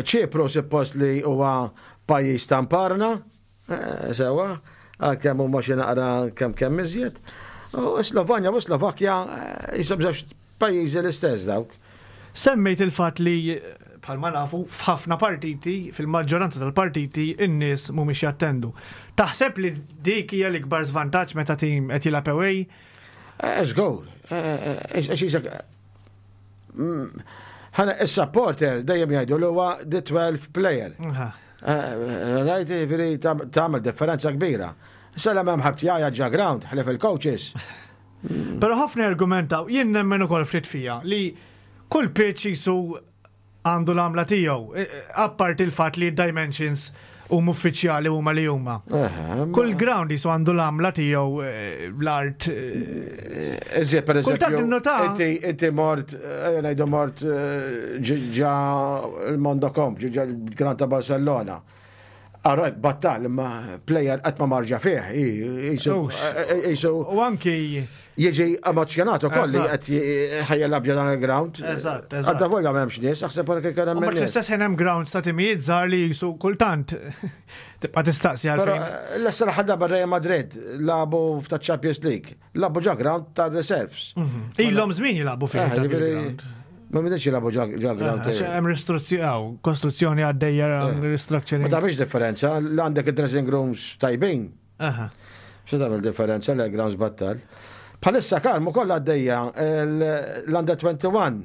Ċipru suppost li huwa pajjiż tamparna, sewa, għalkemm huma xi naqra kemm kemm iżjed. U Slovanja u Slovakkja jisom żewġ pajjiżi l-istess dawk. Semmejt il-fatt li bħalma nafu f'ħafna partiti, fil-maġġoranza tal-partiti, in-nies mhumiex jattendu. Taħseb li dik hija l-ikbar żvantaġġ meta tim qed jilgħab away? Żgur. Ħana is-supporter dejjem jgħidu li huwa the twelve player. Rajt, jiġifieri tagħmel differenza kbira. Issa hemm ħadd jgħajjat ġo ground, ħlief il-coaches. Però ħafna argumentaw, jien nemmen ukoll ftit fija li kull pitch jisu għandu l-għamla tiegħu, apparti il-fatt li dimensions huma uffiċjali huma li huma. Kull ground jisu għandu l-għamla tiegħu l-art. Iżjed per eżempju, inti inti mort, ngħidu mort ġa il-Mondo Comp, ġa l-Ground ta' Barcellona. Alright, battal, imma player qatt ma marġa fih, jisu. U anki jiġi emozjonat ukoll li qed ħajjelab dan il-ground. Eżatt, eżatt. Għadda volja m'hemmx nies, aħseb wara kif kien hemm nies. Fl-istess ħin hemm grounds ta' timijiet żgħar li jisu kultant tibqa' tistaqsi għalfejn. L-essa l-ħadda Real Madrid lagħbu f'ta' Champions League, lagħbu ġo ground ta' reserves. Ilhom żmien jilagħbu fih. Ma midx jilagħbu ġo ground. Hemm ristruzzjoni, kostruzzjoni għaddejja restructuring. Ma tagħmilx differenza, l għandek id-dressing rooms tajbin. X'se tagħmel differenza l grounds battal. Bħalissa Karmu kollha għaddejja l-Under twenty-one,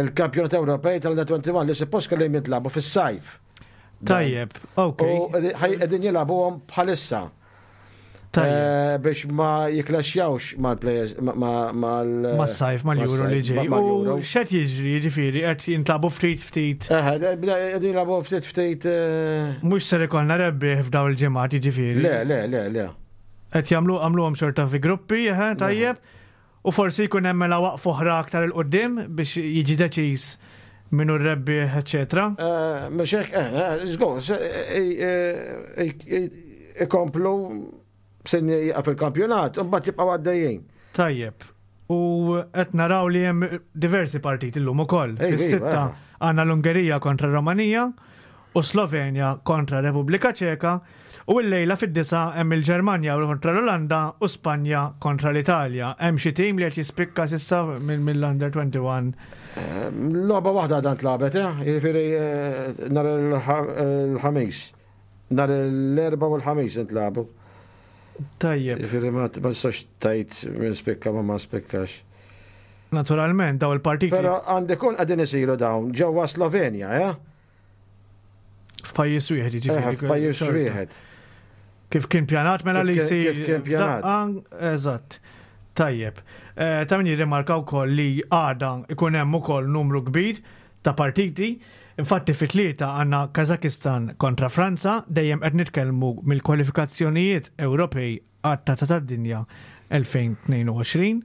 il-kampjonat Ewropej tal-Under twenty-one li suppost kellhom jitlagħbu fis-sajf. Tajjeb, ok. U qegħdin jilagħbuhom bħalissa. Biex ma jiklaxjawx mal-players, mal- Mas-sajf, mal-Euro li ġej. U x'qed jiġri, jiġifieri, qed jintlagħbu ftit ftit. Qegħdin jilagħbu ftit ftit. Mhux ser ikollna rebbieħ f'dawn il-ġimgħat, jiġifieri. Le, le, le, le. Qed jagħmlu għamluhom xorta fi gruppi, tajjeb. U forsi jkun hemm mela waqf oħra aktar 'il quddiem biex jiġi deċiż minnu r-rebbieħ, eċetera. Mhux hekk, żgur, ikomplu sin jieqaf il-kampjonat, u mbagħad jibqgħu għaddejjin. Tajjeb. U qed naraw li hemm diversi partiti llum ukoll. Ej, Fis-sitta iva. għandna l-Ungerija kontra Romanija u Slovenja kontra Repubblika Ċeka u l-lejla fid-disa hemm il-Ġermanja kontra l-Olanda u Spanja kontra l-Italja. Hemm xi tim li qed jispikka s'issa mill- mill-Under twenty-one? Logħba waħda dan tlagħbet, eh? Jiġifieri eh, nhar il-Ħamis. Nhar l-Erbgħa u l-Ħamis intlagħbu. Tajjeb. Jiġifieri ma ma tistax tgħid min spikka ma ma spikkax. Naturalment, daw il-partiti Però għandi kun qegħdin isiru dawn ġewwa Slovenja, eh? f'pajjiż wieħed Eh, jiġifieri. f'pajjiż Xorta. wieħed. Kif kien pjanat mela Kif li kien- jsir. Kif kien pjanat. F'daqqa, eżatt. Tajjeb. Eh, Ta' min jirrimarka wkoll li għada ikun hemm ukoll numru kbir ta' partiti. Infatti fit-tlieta għandna Kazakistan kontra Franza, dejjem qed nitkellmu mill-kwalifikazzjonijiet Ewropej għat-Tazza tad-Dinja elfejn u tnejn u għoxrin.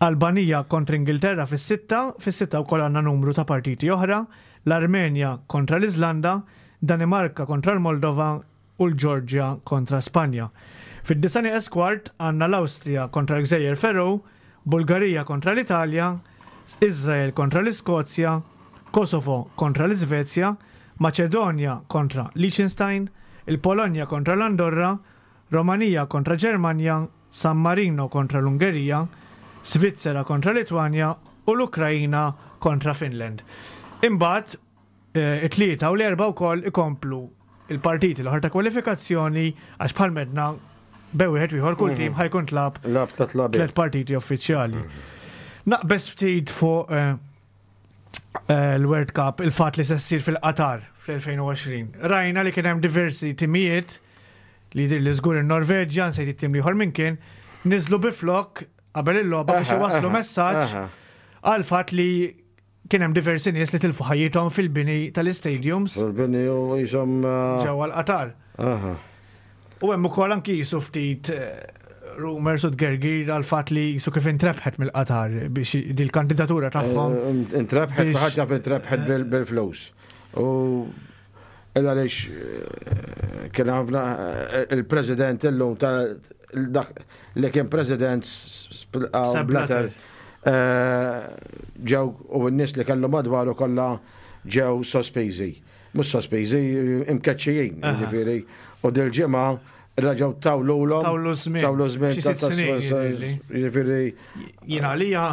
Albanija kontra Ingilterra fis-sitta, fis-sitta wkoll għandna numru ta' partiti oħra, l-Armenja kontra l-Iżlanda, Danimarka kontra l-Moldova u l-Ġorġja kontra Spanja. Fid-disgħa nieqes kwart għandna l-Awstrija kontra l-Gżejjer Faroe, Bulgarija kontra l-Italja, Izrael kontra l-Iskozja, Kosovo kontra l-Iżvezja, Maċedonja kontra Liechtenstein, il-Polonja kontra l-Andorra, Romanija kontra Ġermanja, San Marino kontra l-Ungerija, Svizzera kontra Litwanja u l-Ukrajina kontra Finland. Imbagħad eh, it-tlieta u l-Erbgħa wkoll ikomplu il-partiti l-oħra ta' kwalifikazzjoni, għax bħal medna bejn wieħed u ieħor kull tim ħa jkun lagħab Lagħab tliet logħbiet. tliet partiti uffiċjali. Naqbes ftit fuq eh, eh, l-World Cup, il-fat li se ssir fil-Qatar fl-elfejn u għoxrin. Rajna li kien hemm diversi timijiet li jidher li żgur in-Norveġja, nsejt it-tim ieħor minn kien, niżlu bi flok qabel il-logħba biex Aha, iwasslu aha, messaġġ aha. għal fatt li kien hemm diversi nies li tilfu ħajjithom fil-bini tal-istadiums Fil-bini u jisom. ġewwa l-Qatar. Aha. U hemm ukoll anki jisu ftit eh, rumors u tgergir għal fatt li jisu kif intrebħet mill-Qatar biex dil-kandidatura tagħhom. Eh, Intrebħet, biex- ħaġa intrebħet bil- bil-flus. U illa għaliex eh, kien ħafna eh, il-president illum ta' dak li kien president Sepp Blatter Blatter. eh, ġew u n-nies li kellu madwaru kollha ġew sospiżi. Mhux sospiżi, imkeċċijin, Aha. jiġifieri. U dil-ġimgħa reġgħu tawlulhom. Tawlu żmien. Tawlu żmien. Xi ta' sitt ta' snin, jidhirli. Jiġifieri Jien għalija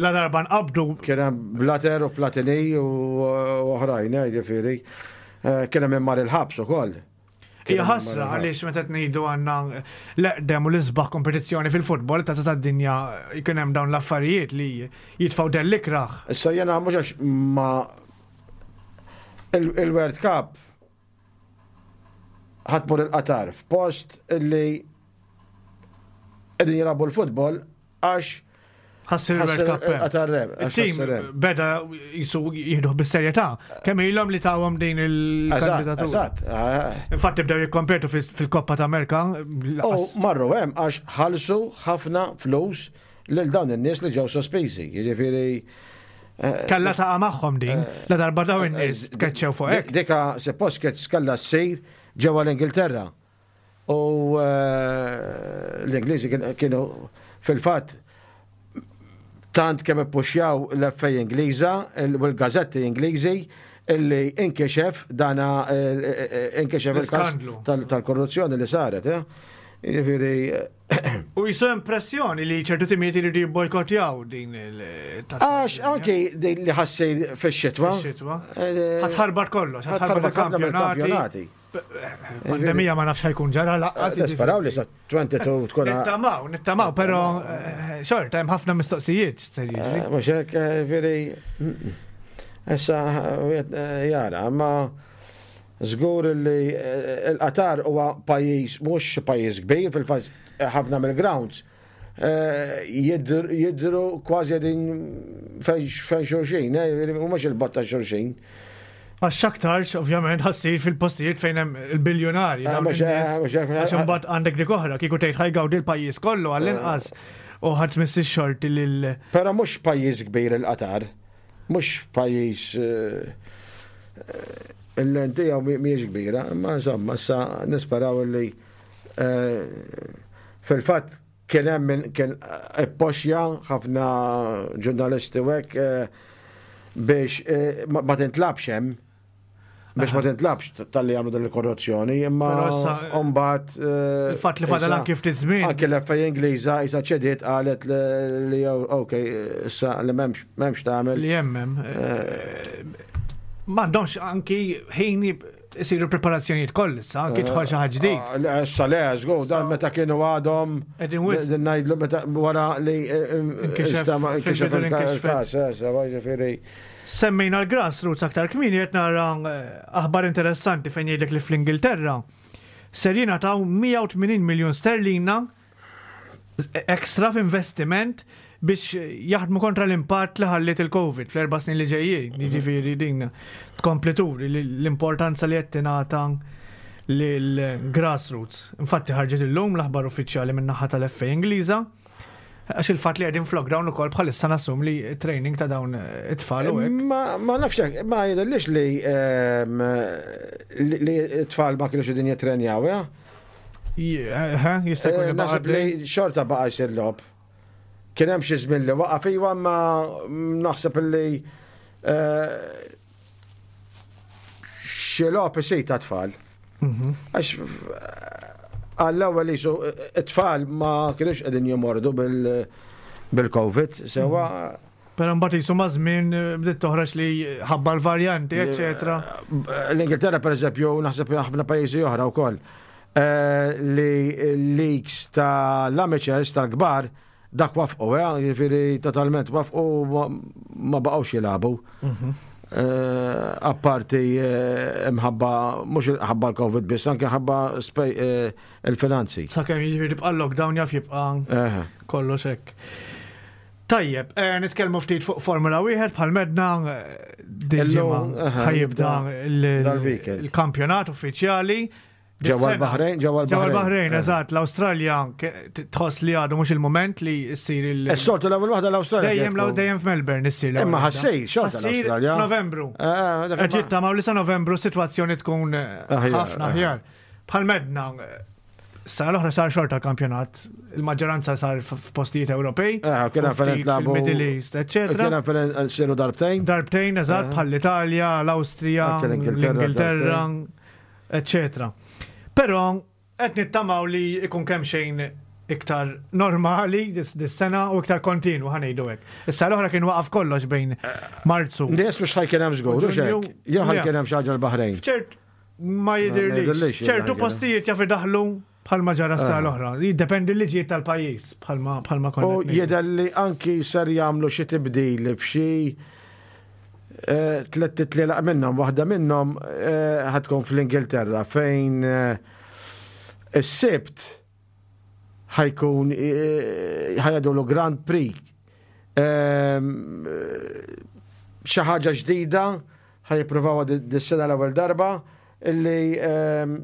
la darba nqabdu kien hemm Blatter u Platini u u oħrajn, eh, jiġifieri. Eh, Kien hemm mar il-ħabs ukoll. Kien Hija hemm ħasra mar il-ħabs. għaliex meta tgħidu għandna l-eqdem u l-isbaħ kompetizzjoni fil-futbol ta' tad-dinja jkun hemm dawn l-affarijiet li jitfgħu dell ikraħ. Issa jena mhux għax ma il- il-World Cup ħa tmur il-Qatar f'post illi qegħdin jilagħbu l-futbol għax Ħa ssir il-World ħa ssir Cup hemm. il-Qatar reb, għax Il-tim ħa ssir hemm. beda jisu jieħduh bis-serjetà. Kemm ilhom li tawhom din Eżatt, il-kandidatura. eżatt. eh. Infatti bdew jikkompetu fil- fil-Koppa ta' Amerika. U marru hemm għax ħallsu ħafna flus lil dawn in-nies li ġew sospiżi. Jiġifieri eh, Kalla taqa' magħhom din, la darba daw in-nies tkeċċew fuq hekk. Dika suppost kienet kellha ssir ġewwa l-Ingilterra. U eh, l-Ingliżi kien- kienu fil-fatt tant kemm ippuxjaw l-F A Ingliża il- u l-gazetti Ingliżi illi inkixef dana eh, eh, inkixef il-każ L-iskandlu. tal- tal-korruzzjoni li saret. eh. Jiġifieri U jisu impressjoni li ċertu timijiet iridu jibbojkottjaw din il- għax anki din li ħa ssir fix-xitwa. Fix-xitwa. eh, Ħa tħarbat kollox, ħa tħarbat ħa tħarbat ħafna il-kampjonati. mill-kampjonati. Pandemija ma nafx ħa jkun ġara lanqas. Nisperaw li sa twenty-two tkun Nittamaw, nittamaw, pero eh, xorta hemm ħafna mistoqsijiet x'ser jiġri. Eh, Mhux hekk, eh, veri. Issa wieħed, eh, jara, ma żgur li eh, il-Qatar huwa pajjiż mhux pajjiż kbir, fil-fatt ħafna mill-grounds eh, jidru jidru kważi qegħdin fejn fejn xulxin, eh, u mhux il-botta xulxin. Għax aktarx, ovvjament, ħa ssir fil-postijiet fejn hemm il-biljonari. Eh, dawn mhux- in-nies. eh, mhux hekk- Għax imbagħad għandek dik oħra, kieku tgħid ħa jgawdi l-pajjiż kollu għall-inqas u ħadd missi xorti lil Però mhux pajjiż kbir il-Qatar, mhux pajjiż eh, eh, il-lentija mhijiex kbira, imma insomma issa nisperaw li eh, fil-fatt Kien hemm min kien ippoxja ħafna ġurnalisti u hekk eh, biex eh, ma ma tintlagħabx hemm, biex ma tintlagħabx talli għamlu din il-korruzzjoni, imma Però issa- mbagħad eh, Il-fatt li fadal issa- anki ftit żmien. Anke l-F A Ingliża issa ċediet, qalet li li ok, issa li m'hemmx m'hemmx tagħmel. Li jemmem. M'għandhomx anki ħin isiru preparazzjonijiet koll issa, anki tħol xi ħaġa ġdid. Ah, le, issa le, żgur, dan So- meta kienu għadhom Qegħdin wisq. din ngħidlu meta wara li eh, Inkixef- istama- inkixef fil-bidu li inkixfet. il-każ, eh, sewa, ġifieri. Semmejna l-grassroots aktar kmieni, qed nara eh, aħbar interessanti fejn jgħidlek li fl-Ingilterra ser jingħataw mija u tmenin miljun sterlina ekstra f'investiment biex jaħdmu kontra l-impatt li ħalliet il-Covid fl-erba' snin li ġejjin. Jiġifieri din tkompli turi li l-importanza li qed tingħata lill-grassroots. Infatti ħarġet illum l-aħbar uffiċjali min-naħa tal-F A Ingliża, għax il-fatt li qegħdin f'lockdown ukoll bħalissa nassum li training ta' dawn it-tfal u hekk. Ma ma nafx hekk, ma jidhirlix li ehm, li li t-tfal ma kienux qegħdin jittrenjaw, ja? Eh, Jista' jkun Eh, li Naħseb baqa' li xorta baqa' jsir logħob. Kien hemm xi żmien li waqaf iwa, ma naħseb li eh, xi logħob isir ta' tfal. Mhm. Għax għall-ewwel jisu it-tfal ma kienux qegħdin jomordu bil- bil-Covid, sewa. Però mbagħad jisu ma' żmien eh, bdiet toħroġ li ħabba l-varjanti, eċetera. L-Ingilterra, per eżempju, naħseb ħafna pajjiżi oħra wkoll, eh, li leagues ta' l-amateurs tal-kbar dak waqfu, eh, jiġifieri totalment waqfu, ma- ma baqgħux jilagħbu. Eh, Apparti eh, mħabba, mhux ħabba l-Covid biss, anke ħabba spej- eh, il-finanzi. Sakemm jiġifieri tibqa' lockdown jaf jibqa' Eh. kollox hekk. Tajjeb, eh, nitkellmu ftit fuq Formula wieħed. Bħal medna eh, din Illum, ġimgħa aha, ħa jibda il- dal-weekend. il-kampjonat uffiċjali. Ġewwa Dis-sena- l-Baħrejn, ġewwa l-Baħrejn. Ġewwa l-Baħrejn, Eh. eżatt, l-Awstralja ke- tħoss li għadu mhux il-moment li ssir il- Is-soltu l-ewwel waħda l-Awstralja. Dejjem kienet law tkun. dejjem f'Melbourne issir l-ewwel Imma waħda. ħa ssir xorta Ħa ssir l-Awstralja. f'Novembru. Eh, dak Qed ma- jittamaw li sa Novembru sitwazzjoni tkun eh, Aħjar, ħafna aħjar. Bħal medna, eh, sena l-oħra sar xorta kampjonat, il-maġġoranza sar f- f'postijiet Ewropej, Eh, kien u hemm fejn ftit ntlagħbu- fil-Middle East, eccetera. Kien hemm fejn siru darbtejn. Darbtejn, eżatt, bħal l-Italja, l-Awstrija, Anke l-Ingilterra. l-Ingilterra, eccetera. Però qed nittamaw li ikun kemm xejn iktar normali dis dis-sena u iktar kontinu, ħa ngħidu hekk. Issa l-oħra kien waqaf kollox bejn Marzu. Nies mhux ħa jkun hemm żgur, hux Ġunju, hekk? Jew le. ħa jkun hemm xi ħaġa l-Baħrejn. Ċert ma jidhirlix jidirlix. li ċertu ħa jkun. postijiet jaf idaħlu bħalma ġara s Ah. l-oħra. Jiddependi l-liġijiet tal-pajjiż bħalma bħalma U konna qed ngħidu. jidher li anki ser jagħmlu xi tibdil f'xi eh, tliet titlielaq minnhom, waħda minnhom eh, ħa tkun fl-Ingilterra fejn eh, is-Sibt ħa jkun eh, ħa jgħidulu Grand Prix. Ehm, eh, Xi ħaġa ġdida ħa jippruvawha dis-sena l-ewwel darba illi ehm,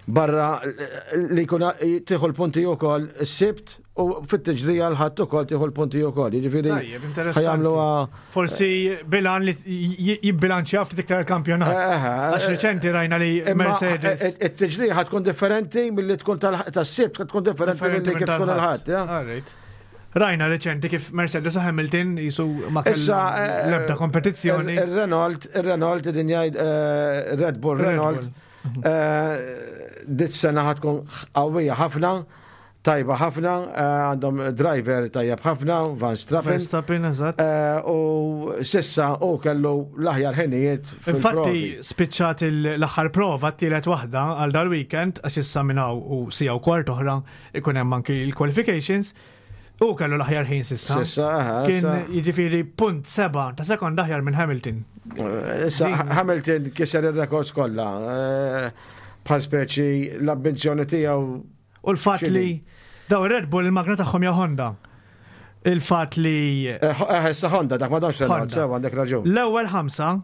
barra li jkun tieħu l-punti wkoll is-Sibt u fit-tiġrija l-Ħadd ukoll tieħu l-punti wkoll. Jiġifieri Tajjeb, interessanti. ħa jagħmluha. Forsi bilan li j- jibbilanċja ftit iktar il-kampjonat. Eh, Għax reċenti rajna li Imma Mercedes. it-tiġrija ħa tkun differenti milli tkun tas-Sibt, tkun differenti milli kif tkun il-Ħadd. Ja? Alright. Rajna reċenti kif Mercedes u Hamilton jisu ma Issa kellhom eh, l-ebda kompetizzjoni. Il-Renault, il-Renault din jgħid eh, Red Bull Red Renault Bull. eh, dis-sena ħa tkun qawwija ħafna, tajba ħafna, eh, għandhom driver tajjeb ħafna, Verstappen. Verstappen, eżatt. Eh, U s'issa u kellu l-aħjar ħinijiet Infatti fil-provi. spiċċat il- l-aħħar prova, t-tielet waħda għal dal-weekend, għax issa minn hawn u siegħa u kwart oħra ikun hemm anki l-qualifications, u kellu l-aħjar ħin s'issa. S'issa, aha, Kien issa. jiġifieri punt seba ta' sekonda aħjar minn Hamilton. Eh, Issa Hamilton kiser il-records kollha. Eh, Bħal speċi l-ambizjoni tiegħu. U l-fatt X'inhi? li daw Red Bull il-magna tagħhom hija Honda. Il-fatt li Eh, eh, Issa Honda, dak ma damx Renault, Honda. sewa għandek raġun. l-ewwel ħamsa,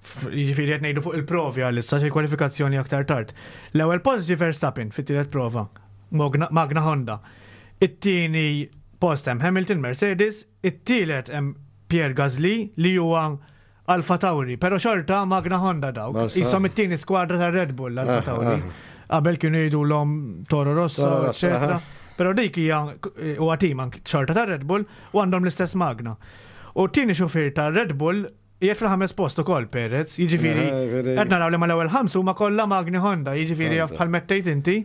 f- jiġifieri qed ngħidu fuq il-provi għalissa, xi kwalifikazzjoni aktar tard. L-ewwel post ġie Verstappen fit-tielet prova, Mogna- Magna Honda. It-tieni post hemm Hamilton Mercedes, it-tielet hemm Pierre Gasly li huwa Alfa Tauri, pero xorta Magna Honda dawk. Barsa. Isom it-tieni skwadra ta' Red Bull Alfa Ah, Tauri. Qabel kienu jgħidulhom Toro Rosso, Toro Rosso, eccetera. aha. Però dik hija huwa tim anki xorta ta' Red Bull u għandhom l-istess magna. U tieni xufier ta' Red Bull qiegħed fil-ħames post ukoll Perez, jiġifieri Eh, veri. qed naraw li mal-ewwel ħamsu huma kollha magni Honda, jiġifieri jaf Honda. bħal mettejt inti.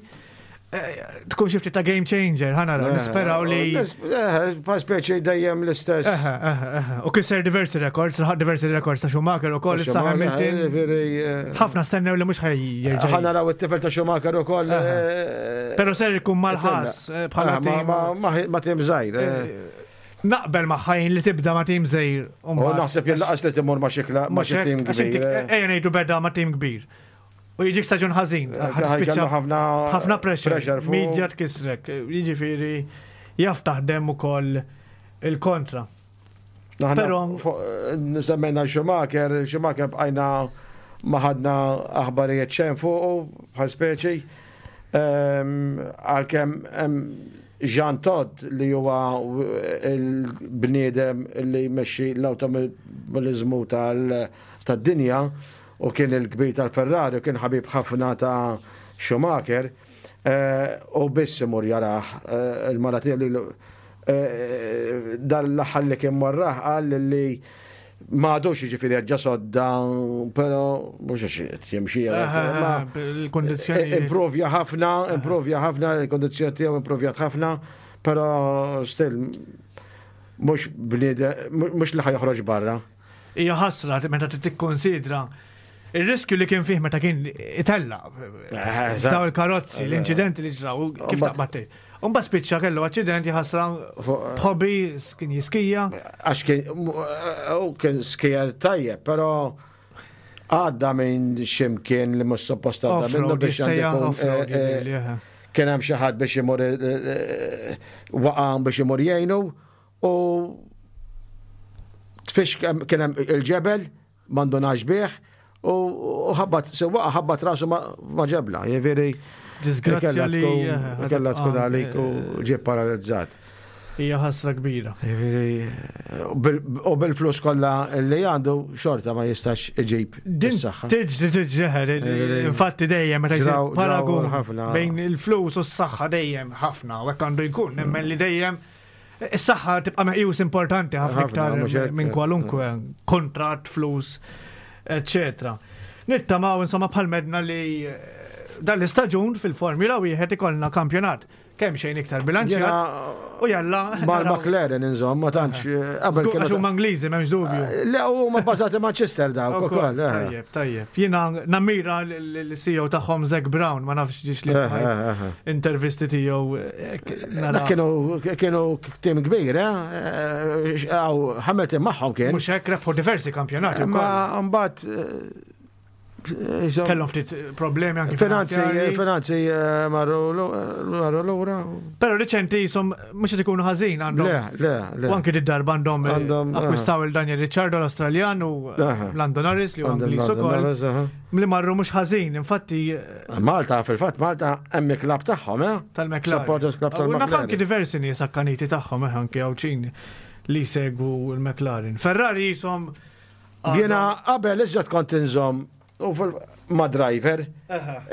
eh, Tkun xi ftit ta' game changer, ħa naraw, nisperaw li. Eh, pa speċi dejjem l-istess. Eħe, eħe, eħe. U kisser diversi records, laħaq diversi records ta' Schumacher u koll issa Hamilton. Veri, eh, Ħafna stennew li mhux ħaj jerġa'. Ħa naraw it-tifel ta' Schumacher ukoll. Eħe. Però ser ikun mal-Haas eh, bħala Ah, ma- tim. ma- ma- Ma tim żgħir. eh. Naqbel magħha jien li tibda ma' tim żgħir. U naħseb jien laqas li timur ma' xi kla- ma' xi tim kbir. eh. Ejja ngħidu beda ma' tim kbir. U jiġik staġun ħażin. Eh, ħajkellu ħafna ħafna pressure. pressure fuq. Media tkissrek. Jiġifieri jaf taħdem ukoll il-kontra. Aħna Però- fuq- eh, Semmejna Schumacher, Schumacher bqajna ma ħadna aħbarijiet xejn fuqu bħal speċi. Ehm, Għalkemm hemm Jean Todt li huwa il-bniedem li jmexxi l-awtomobilizmu tal- tad-dinja u kien il-kbir tal-Ferrari u kien ħabib ħafna ta' Schumacher eh, u biss imur jarah eh, il-mara tiegħu li eh, dan l-aħħar li kien marraħ qal li ma għadux jiġifieri ġa sodda, però mhux għax qed jimxi. ma- Il-kondizzjoni. Improvja ħafna, improvja ħafna, il-kondizzjoni tiegħu improvjat ħafna, però still mhux bniedem, mhux li ħa joħroġ barra. Hija ħasra meta tikkonsidra il-riskju li kien fih meta kien itella. Eh, Daw il-karozzi, l-inċidenti li ġraw, kif Umbat- taqbad Umba spiċċa kellu aċċident ħasra Fuq- hobby, kien jiskija. Għax kien, u kien skier tajjeb, però għadda minn ximkien li mhux suppost għadda minnu Off-road, biex jissejjaħ għandu jkun, off-road, eh, eh, jidhirli, eħe. kien hemm xi ħadd biex imur eh, eh, waqa' biex imur jgħinu u tfix kien hemm il-ġebel m'għandunax bih u u ħabbat se waqa' ħabbat rasu ma ma ġebla, jiġifieri Disgrazzja kellha li tkun- eħe, kellha tkun ah, għalik u ġie paralizzat. Hija ħasra kbira. Jiġifieri, u bil- U bil-flus kollha li għandu xorta ma jistax iġib Din is-saħħa. tiġri tiġri eħe, infatti dejjem meta jsir Ġraw- ġraw paragun ħafna. bejn il-flus u s-saħħa dejjem ħafna u hekk għandu jkun, nemmen li dejjem is-saħħa tibqa' meqjus importanti ħafna Ħafna, iktar mhux hekk. minn kwalunkwe kontratt, flus, eccetera. Nittamaw insomma bħal medna li eh, dan l-istaġun fil-Formula wieħed ikollna kampjonat kemm xejn iktar bilanċjat Jiena u jalla mal naraw. McLaren insomma, ma tantx eh, qabel Żgur, Għax kienu huma Ingliżi m'hemmx dubju. Le huma bbażati Manchester dawk ukoll. eh. Tajjeb, tajjeb. Jiena nammira l-C E O tagħhom Zac Brown, ma nafx ġiex li Eh, smajt eh, eh. intervisti tiegħu. hekk nara- Dak kienu kienu tim kbir, eh? Għaw Hamilton magħhom kien. Mhux hekk rebħu diversi kampjonati wkoll. Ma mbagħad eh, insomma, Kellhom ftit problemi anki finanzi finanzjarji. finanzi eh, marru marru lura. Però riċenti jisom mhux qed ikunu ħażin għandhom. Le, le, le. U anki d-darba għandhom eh, Għandhom, eh. akkwistaw il-Daniel Ricciardo l-Australjan u Aha. Lando Norris li huwa Għandhom Ingliż Lando ukoll. Norris, aha. Li marru mhux ħażin, infatti eh, Malta, fil-fatt, Malta hemm il-klabb tagħhom, eh? tal-McLaren. Supporters Club U naf anki tal-McLaren. diversi nies akkaniti tagħhom eh, anki Għawdxin li segwu l-McLaren. Ferrari jisom Jiena qabel iżjed kont inżomm u fil- ma' driver.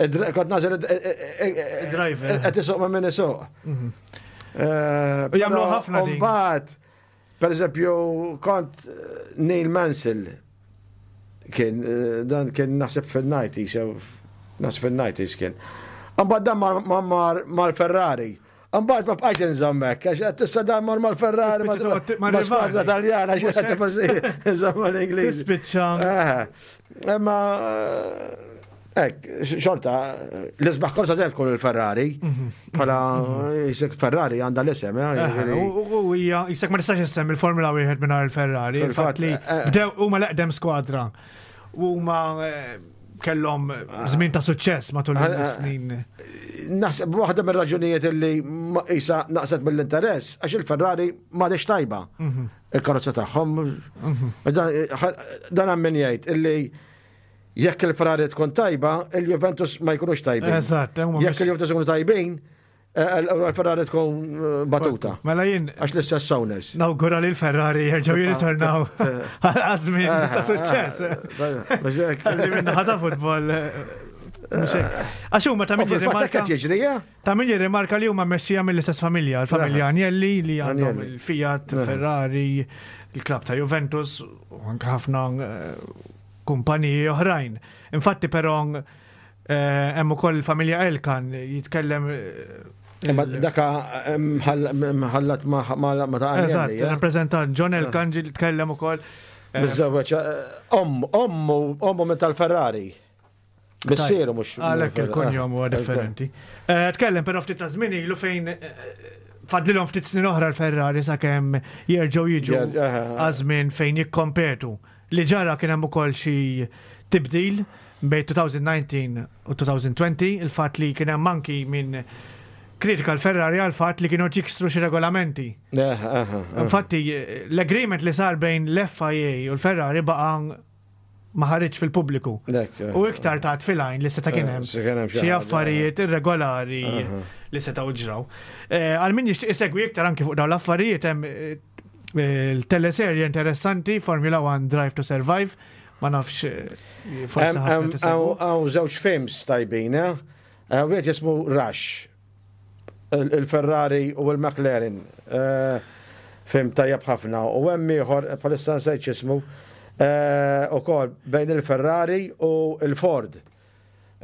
Id- Kont nażel Driver. Qed isuq ma' min isuq. Eh, U jagħmlu però ħafna din. Mbagħad, per eżempju, kont eh, Neil Mansell kien eh, dan kien naħseb fil-nineties, jew naħseb fil-nineties kien. Mbagħad dan mar- mar- mar- mal-Ferrari. Mbagħad ma bqajx inżommek, għax qed tista' dan mar mal-Ferrari ma Tispiċċa toqgħod ma ma' skwadra rivali. Taljana xi Mhux qed hekk. forsi inżomm l-Ingliż. Tispiċċa Eh, Imma hekk, xorta, l-isbaħ korsa dejjem tkun il-Ferrari. Bħala jisek Ferrari għandha l-isem, eh, Eh, jiġifieri. U u hija jisek ma tistax issemmi il-Formula wieħed mingħajr il-Ferrari. Fil-fatt, Il-fatt li eh, eh. bdew huma l-eqdem skwadra. Huma eh, kellhom żmien ta' suċċess matul Eh, eh. is-snin. Naħseb waħda mir-raġunijiet li ma- isa naqset mill-interess għax il-Ferrari m'għadix tajba. Il-karozza tagħhom. Dan dan hemm min jgħid illi jekk il-Ferrari tkun tajba, il-Juventus ma jkunux tajbin. Eżatt, huma Jekk mhux- il-Juventus ikunu tajbin, eh, il-Ferrari tkun eh, batuta. Mela jien Għax l-istess owners. nawgura li l-Ferrari jerġgħu jirritornaw għaż-żmien ta' suċċess. Mhux hekk. Għalli minna ħata futbol eh, Għax huma ta' U min fil-fatt hekk jirrimarka qed jiġri, ja? ta' min jirrimarka li huma mmexxija mill-istess familja, l-familja Agnelli li għandhom Agnelli. il-Fiat, Ferrari, il-klab ta' Juventus u anke ħafna eh, kumpaniji oħrajn. Infatti però eh, hemm ukoll il-familja Elkann jitkellem eh, Imma il- daka mħallat ma ma ma ta' Eżatt, Agnelli, ja? rappresentant John Elkann ġi jitkellem ukoll. eh, Miżżewweġ, eh, ommu, ommu, ommu minn tal-Ferrari. Missieru mhux. Għalhekk il-kunjom huwa differenti. Eh, Tkellem però ftit ta' żmien ilu fejn eh, fadlilhom ftit snin oħra l-Ferrari sakemm jerġgħu jiġu Jer- eh, eh. għażmin fejn jikkompetu. Li ġara kien hemm ukoll xi tibdil bejn elfejn u dsatax u elfejn u għoxrin, il-fatt li kien hemm anki minn kritika l-Ferrari għal fatt li kienu jiksru xi regolamenti. Eh, eh, eh. Infatti, l-agreement li sar bejn l-F I A u l-Ferrari baqa ma ħareġ fil-pubbliku. Dak, eh. U iktar ta' filajn li seta' kien hemm Eh, se kien hemm xi xi ħaġa. affarijiet irregolari li setgħu ġraw. Eh, Għal min jixtieq isegwi iktar anki fuq dawn l-affarijiet, hemm eh, il-teleserje interessanti Formula One Drive to Survive, ma nafx eh, forsi Hemm- ħafna hemm- tisegwu. Hawn hawn żewġ films tajbin, eh? Eh, Wieħed jismu Rush, il- il-Ferrari u l-McLaren. Eh, Film tajjeb ħafna. U hemm ieħor bħalissa nsejt x'ismu, eh, ukoll bejn il-Ferrari u il-Ford.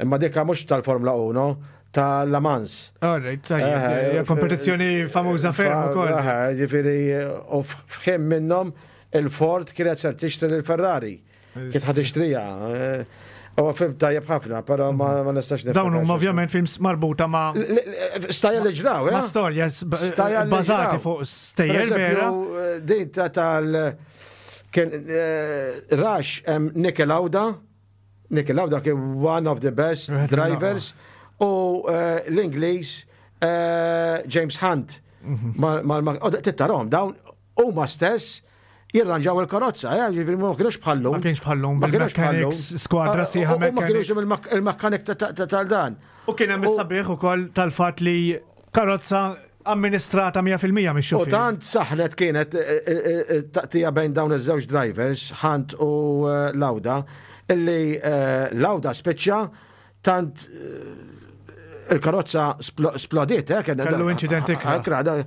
Imma dika mhux tal-Formula one, tal-Le Mans. All right, tajjeb, hija kompetizzjoni famuża ferm ukoll. Ġifieri, u f'ħin minnhom il-Ford kienet ser tixtri l-Ferrari. Kienet ħa tixtriha. Eh, U film tajjeb ħafna, però ma ma nistax niftakar Dawn huma x'ismu. ovvjament films marbuta ma' L- l- Stajja li ġraw, ma' eh? storja s- Stajja li bażati ġraw. fuq Per stejjer vera. eżempju, eh, din ta' tal kien eh, Rush, hemm Niki Lauda, Niki Lauda kien one of the best Wieħed drivers u eh, l-Ingliż eh, James Hunt. Mhm. Ma ma ma u tittarahom dawn huma stess jirranġaw il-karozza, eh, ġifieri ma kienux bħallum. Ma kienx bħallum Ma kienux bħallum. bil-mechanics, skwadra Ah, sħiħa u- u Ma kienux mechanics. il-mak- il-mechanic ta- ta- ta- tal-dan. U kien hemm U- is-sabiħ ukoll tal-fatt li karozza amministrata mija fil-mija U mix-xufier. tant saħnet kienet eh, eh, eh, taqtija bejn dawn iż-żewġ drivers, Hunt u eh, Lauda, illi eh, Lauda spiċċa tant eh, il-karozza splo- splodiet, eh, kien Kellu incident ikra. Ikra, da- eh,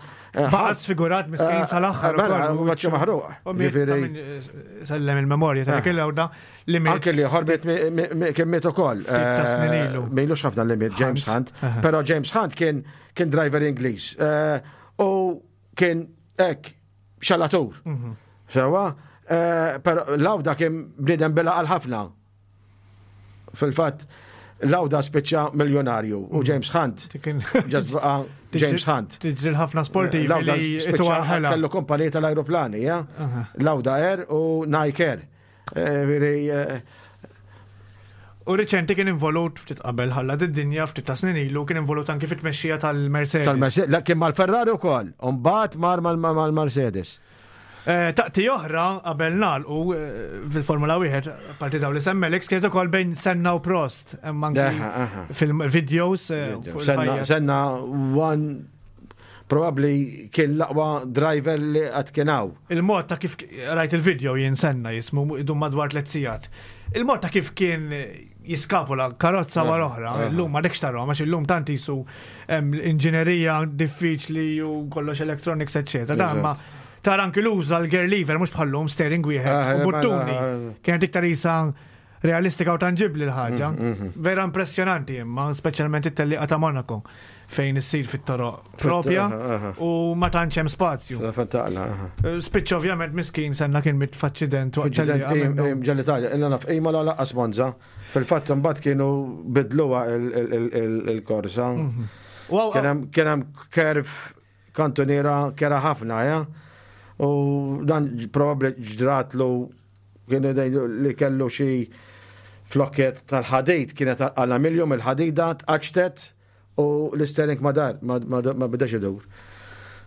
Baqa' Hunt- sfigurat miskin Eh, sal-aħħar Mela, ukoll. maċċu maħruq. U miet ta' Ġifieri- min, eh, sellem il-memorja ta' Ah. Niki Lauda li miet Anke li ħorbit kien miet ukoll. ta' snin Eh, ilu. M'ilux ħafna li miet James Hunt, Aha. però James Hunt kien kien driver Ingliż. Eh, U kien hekk xalatur. Mhm. Sewa, eh, però Lauda kien bniedem bela għal ħafna. Fil-fatt, Lauda spiċċa miljonarju u James Hunt Kien- just baqa' James Hunt. Tiġri l-ħafna sportivi Lauda li spiċċa itu għal-ħela. kellu kumpanija tal-aeroplani, ja? Aha. Lauda Air u Nike Air. Eh, veri, eh, U riċenti kien involut ftit qabel ħalla d-dinja ftit ta' snin ilu kien involut anki fit-tmexxija tal-Mercedes. Tal-Mercedes, la, kien mal-Ferrari u koll, umbagħad mar mal- mal-Mercedes. Eh, Taqti oħra qabel nagħlqu eh, fil-Formula wieħed, parti daw li semmelek, kienet ukoll bejn Senna u Prost. Hemm anki Aha, aha. fil-videos eh, fuq Senna, il-ħajja. Senna one, probably kien l-aqwa driver li għad kien hawn. Il-mod ta' kif rajt il-video jien, Senna jismu, idum madwar tliet sigħat. Il-mod ta' kif kien jiskapula karozza wara oħra, aha. illum ma dekx tarahom għax illum tant jisu hemm inġinerija diffiċli u kollox electronics eċċetera. Dan ma tara anki l-uża l-gear lever mhux bħallum steering wieħed Ah, u buttuni. mela, Kienet iktar isa realistika u tangibli l-ħaġa. Mm, Vera impressjonanti imma, speċjalment it-tellieqa ta' Monaco fejn issir fit-toroq propja aha, aha. u ma tantx hemm spazju. Fantaqla, aha. Spiċċa ovvjament miskin Senna kien miet f'aċċident waqt F'inċident tellieqa minnu. ġol-Italja, illa naf, ejma la laqqas Monza. Fil-fatt mbagħad kienu bidluha il- il- il- il- il-korsa. Wow, Kien hemm- Kien hemm curve kantoniera kera ħafna, ja. U dan probabbli ġratlu kienu dejdu li kellu xi flokket tal-ħadid kienet għala miljum il-ħadida tqaċtet u l-steering ma dar, ma, ma, ma bidax idur.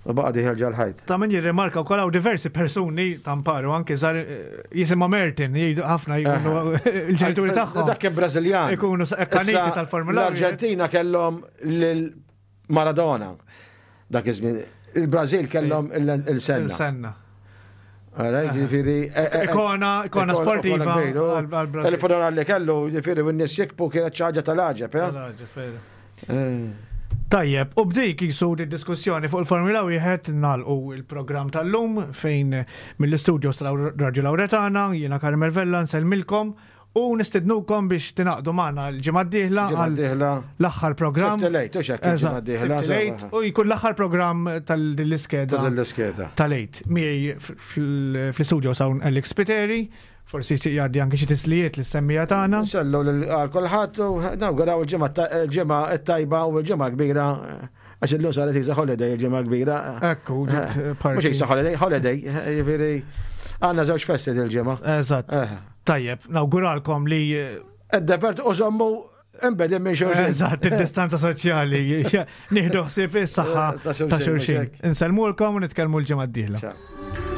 U baqa dieħel ġol-ħajt. Ta' min jirrimarka wkoll hawn diversi persuni tamparu anke żar eh, jisimha Mertin, jgħidu ħafna jkunu il-ġenituri tagħhom. Dak kien Brażiljan. Ikunu akkaniti Issa, tal-Formula wieħed. L-Arġentina kellhom lil Maradona. Dak iż-żmien. Il-Brażil kellhom il-Senna. Il-Senna. Alright, ġifieri. Eh, eh, ikona, ikona sportiva. Il-funeral li kellu, ġifieri, u n-nies jikbu kienet xi ħaġa tal-għaġeb. Tal-għaġeb, Tajjeb, u b'dik jisu diskussjoni fuq il-Formula wieħed nagħlqu il-programm tal-lum fejn mill-istudio tal-Radio Lauretana, jiena Carmel Vella nsellmilkom u nistednukom biex tingħaqdu magħna l-ġimgħa d-dieħla l-aħħar programm. Sibt il-Għid, u x'hekk il-ġimgħa d-dieħla. U jkun l-aħħar programm tal-iskeda. Tal-iskeda. Tal-Għid. Miegħi fl-istudio hawn Alex Spiteri, forsi jgħaddi anke xi tislijiet lis-semmiegħa tagħna. Nsellu għal kulħadd u nawguraw il-ġimgħa t-tajba u l-ġimgħa kbira għax illum saret isa holiday il-ġimgħa kbira. Ekku, Mhux isa holiday, holiday, jiġifieri għandna żewġ festi il-ġimgħa. Eżatt. Tajjeb, nawguralkom li. Id-devert u żommu imbedin minn xulxin. Eżatt, id-distanza soċjali. Nieħdu ħsieb is-saħħa ta' xulxin. Insellmulkom u nitkellmu l-ġimgħa d-dieħla.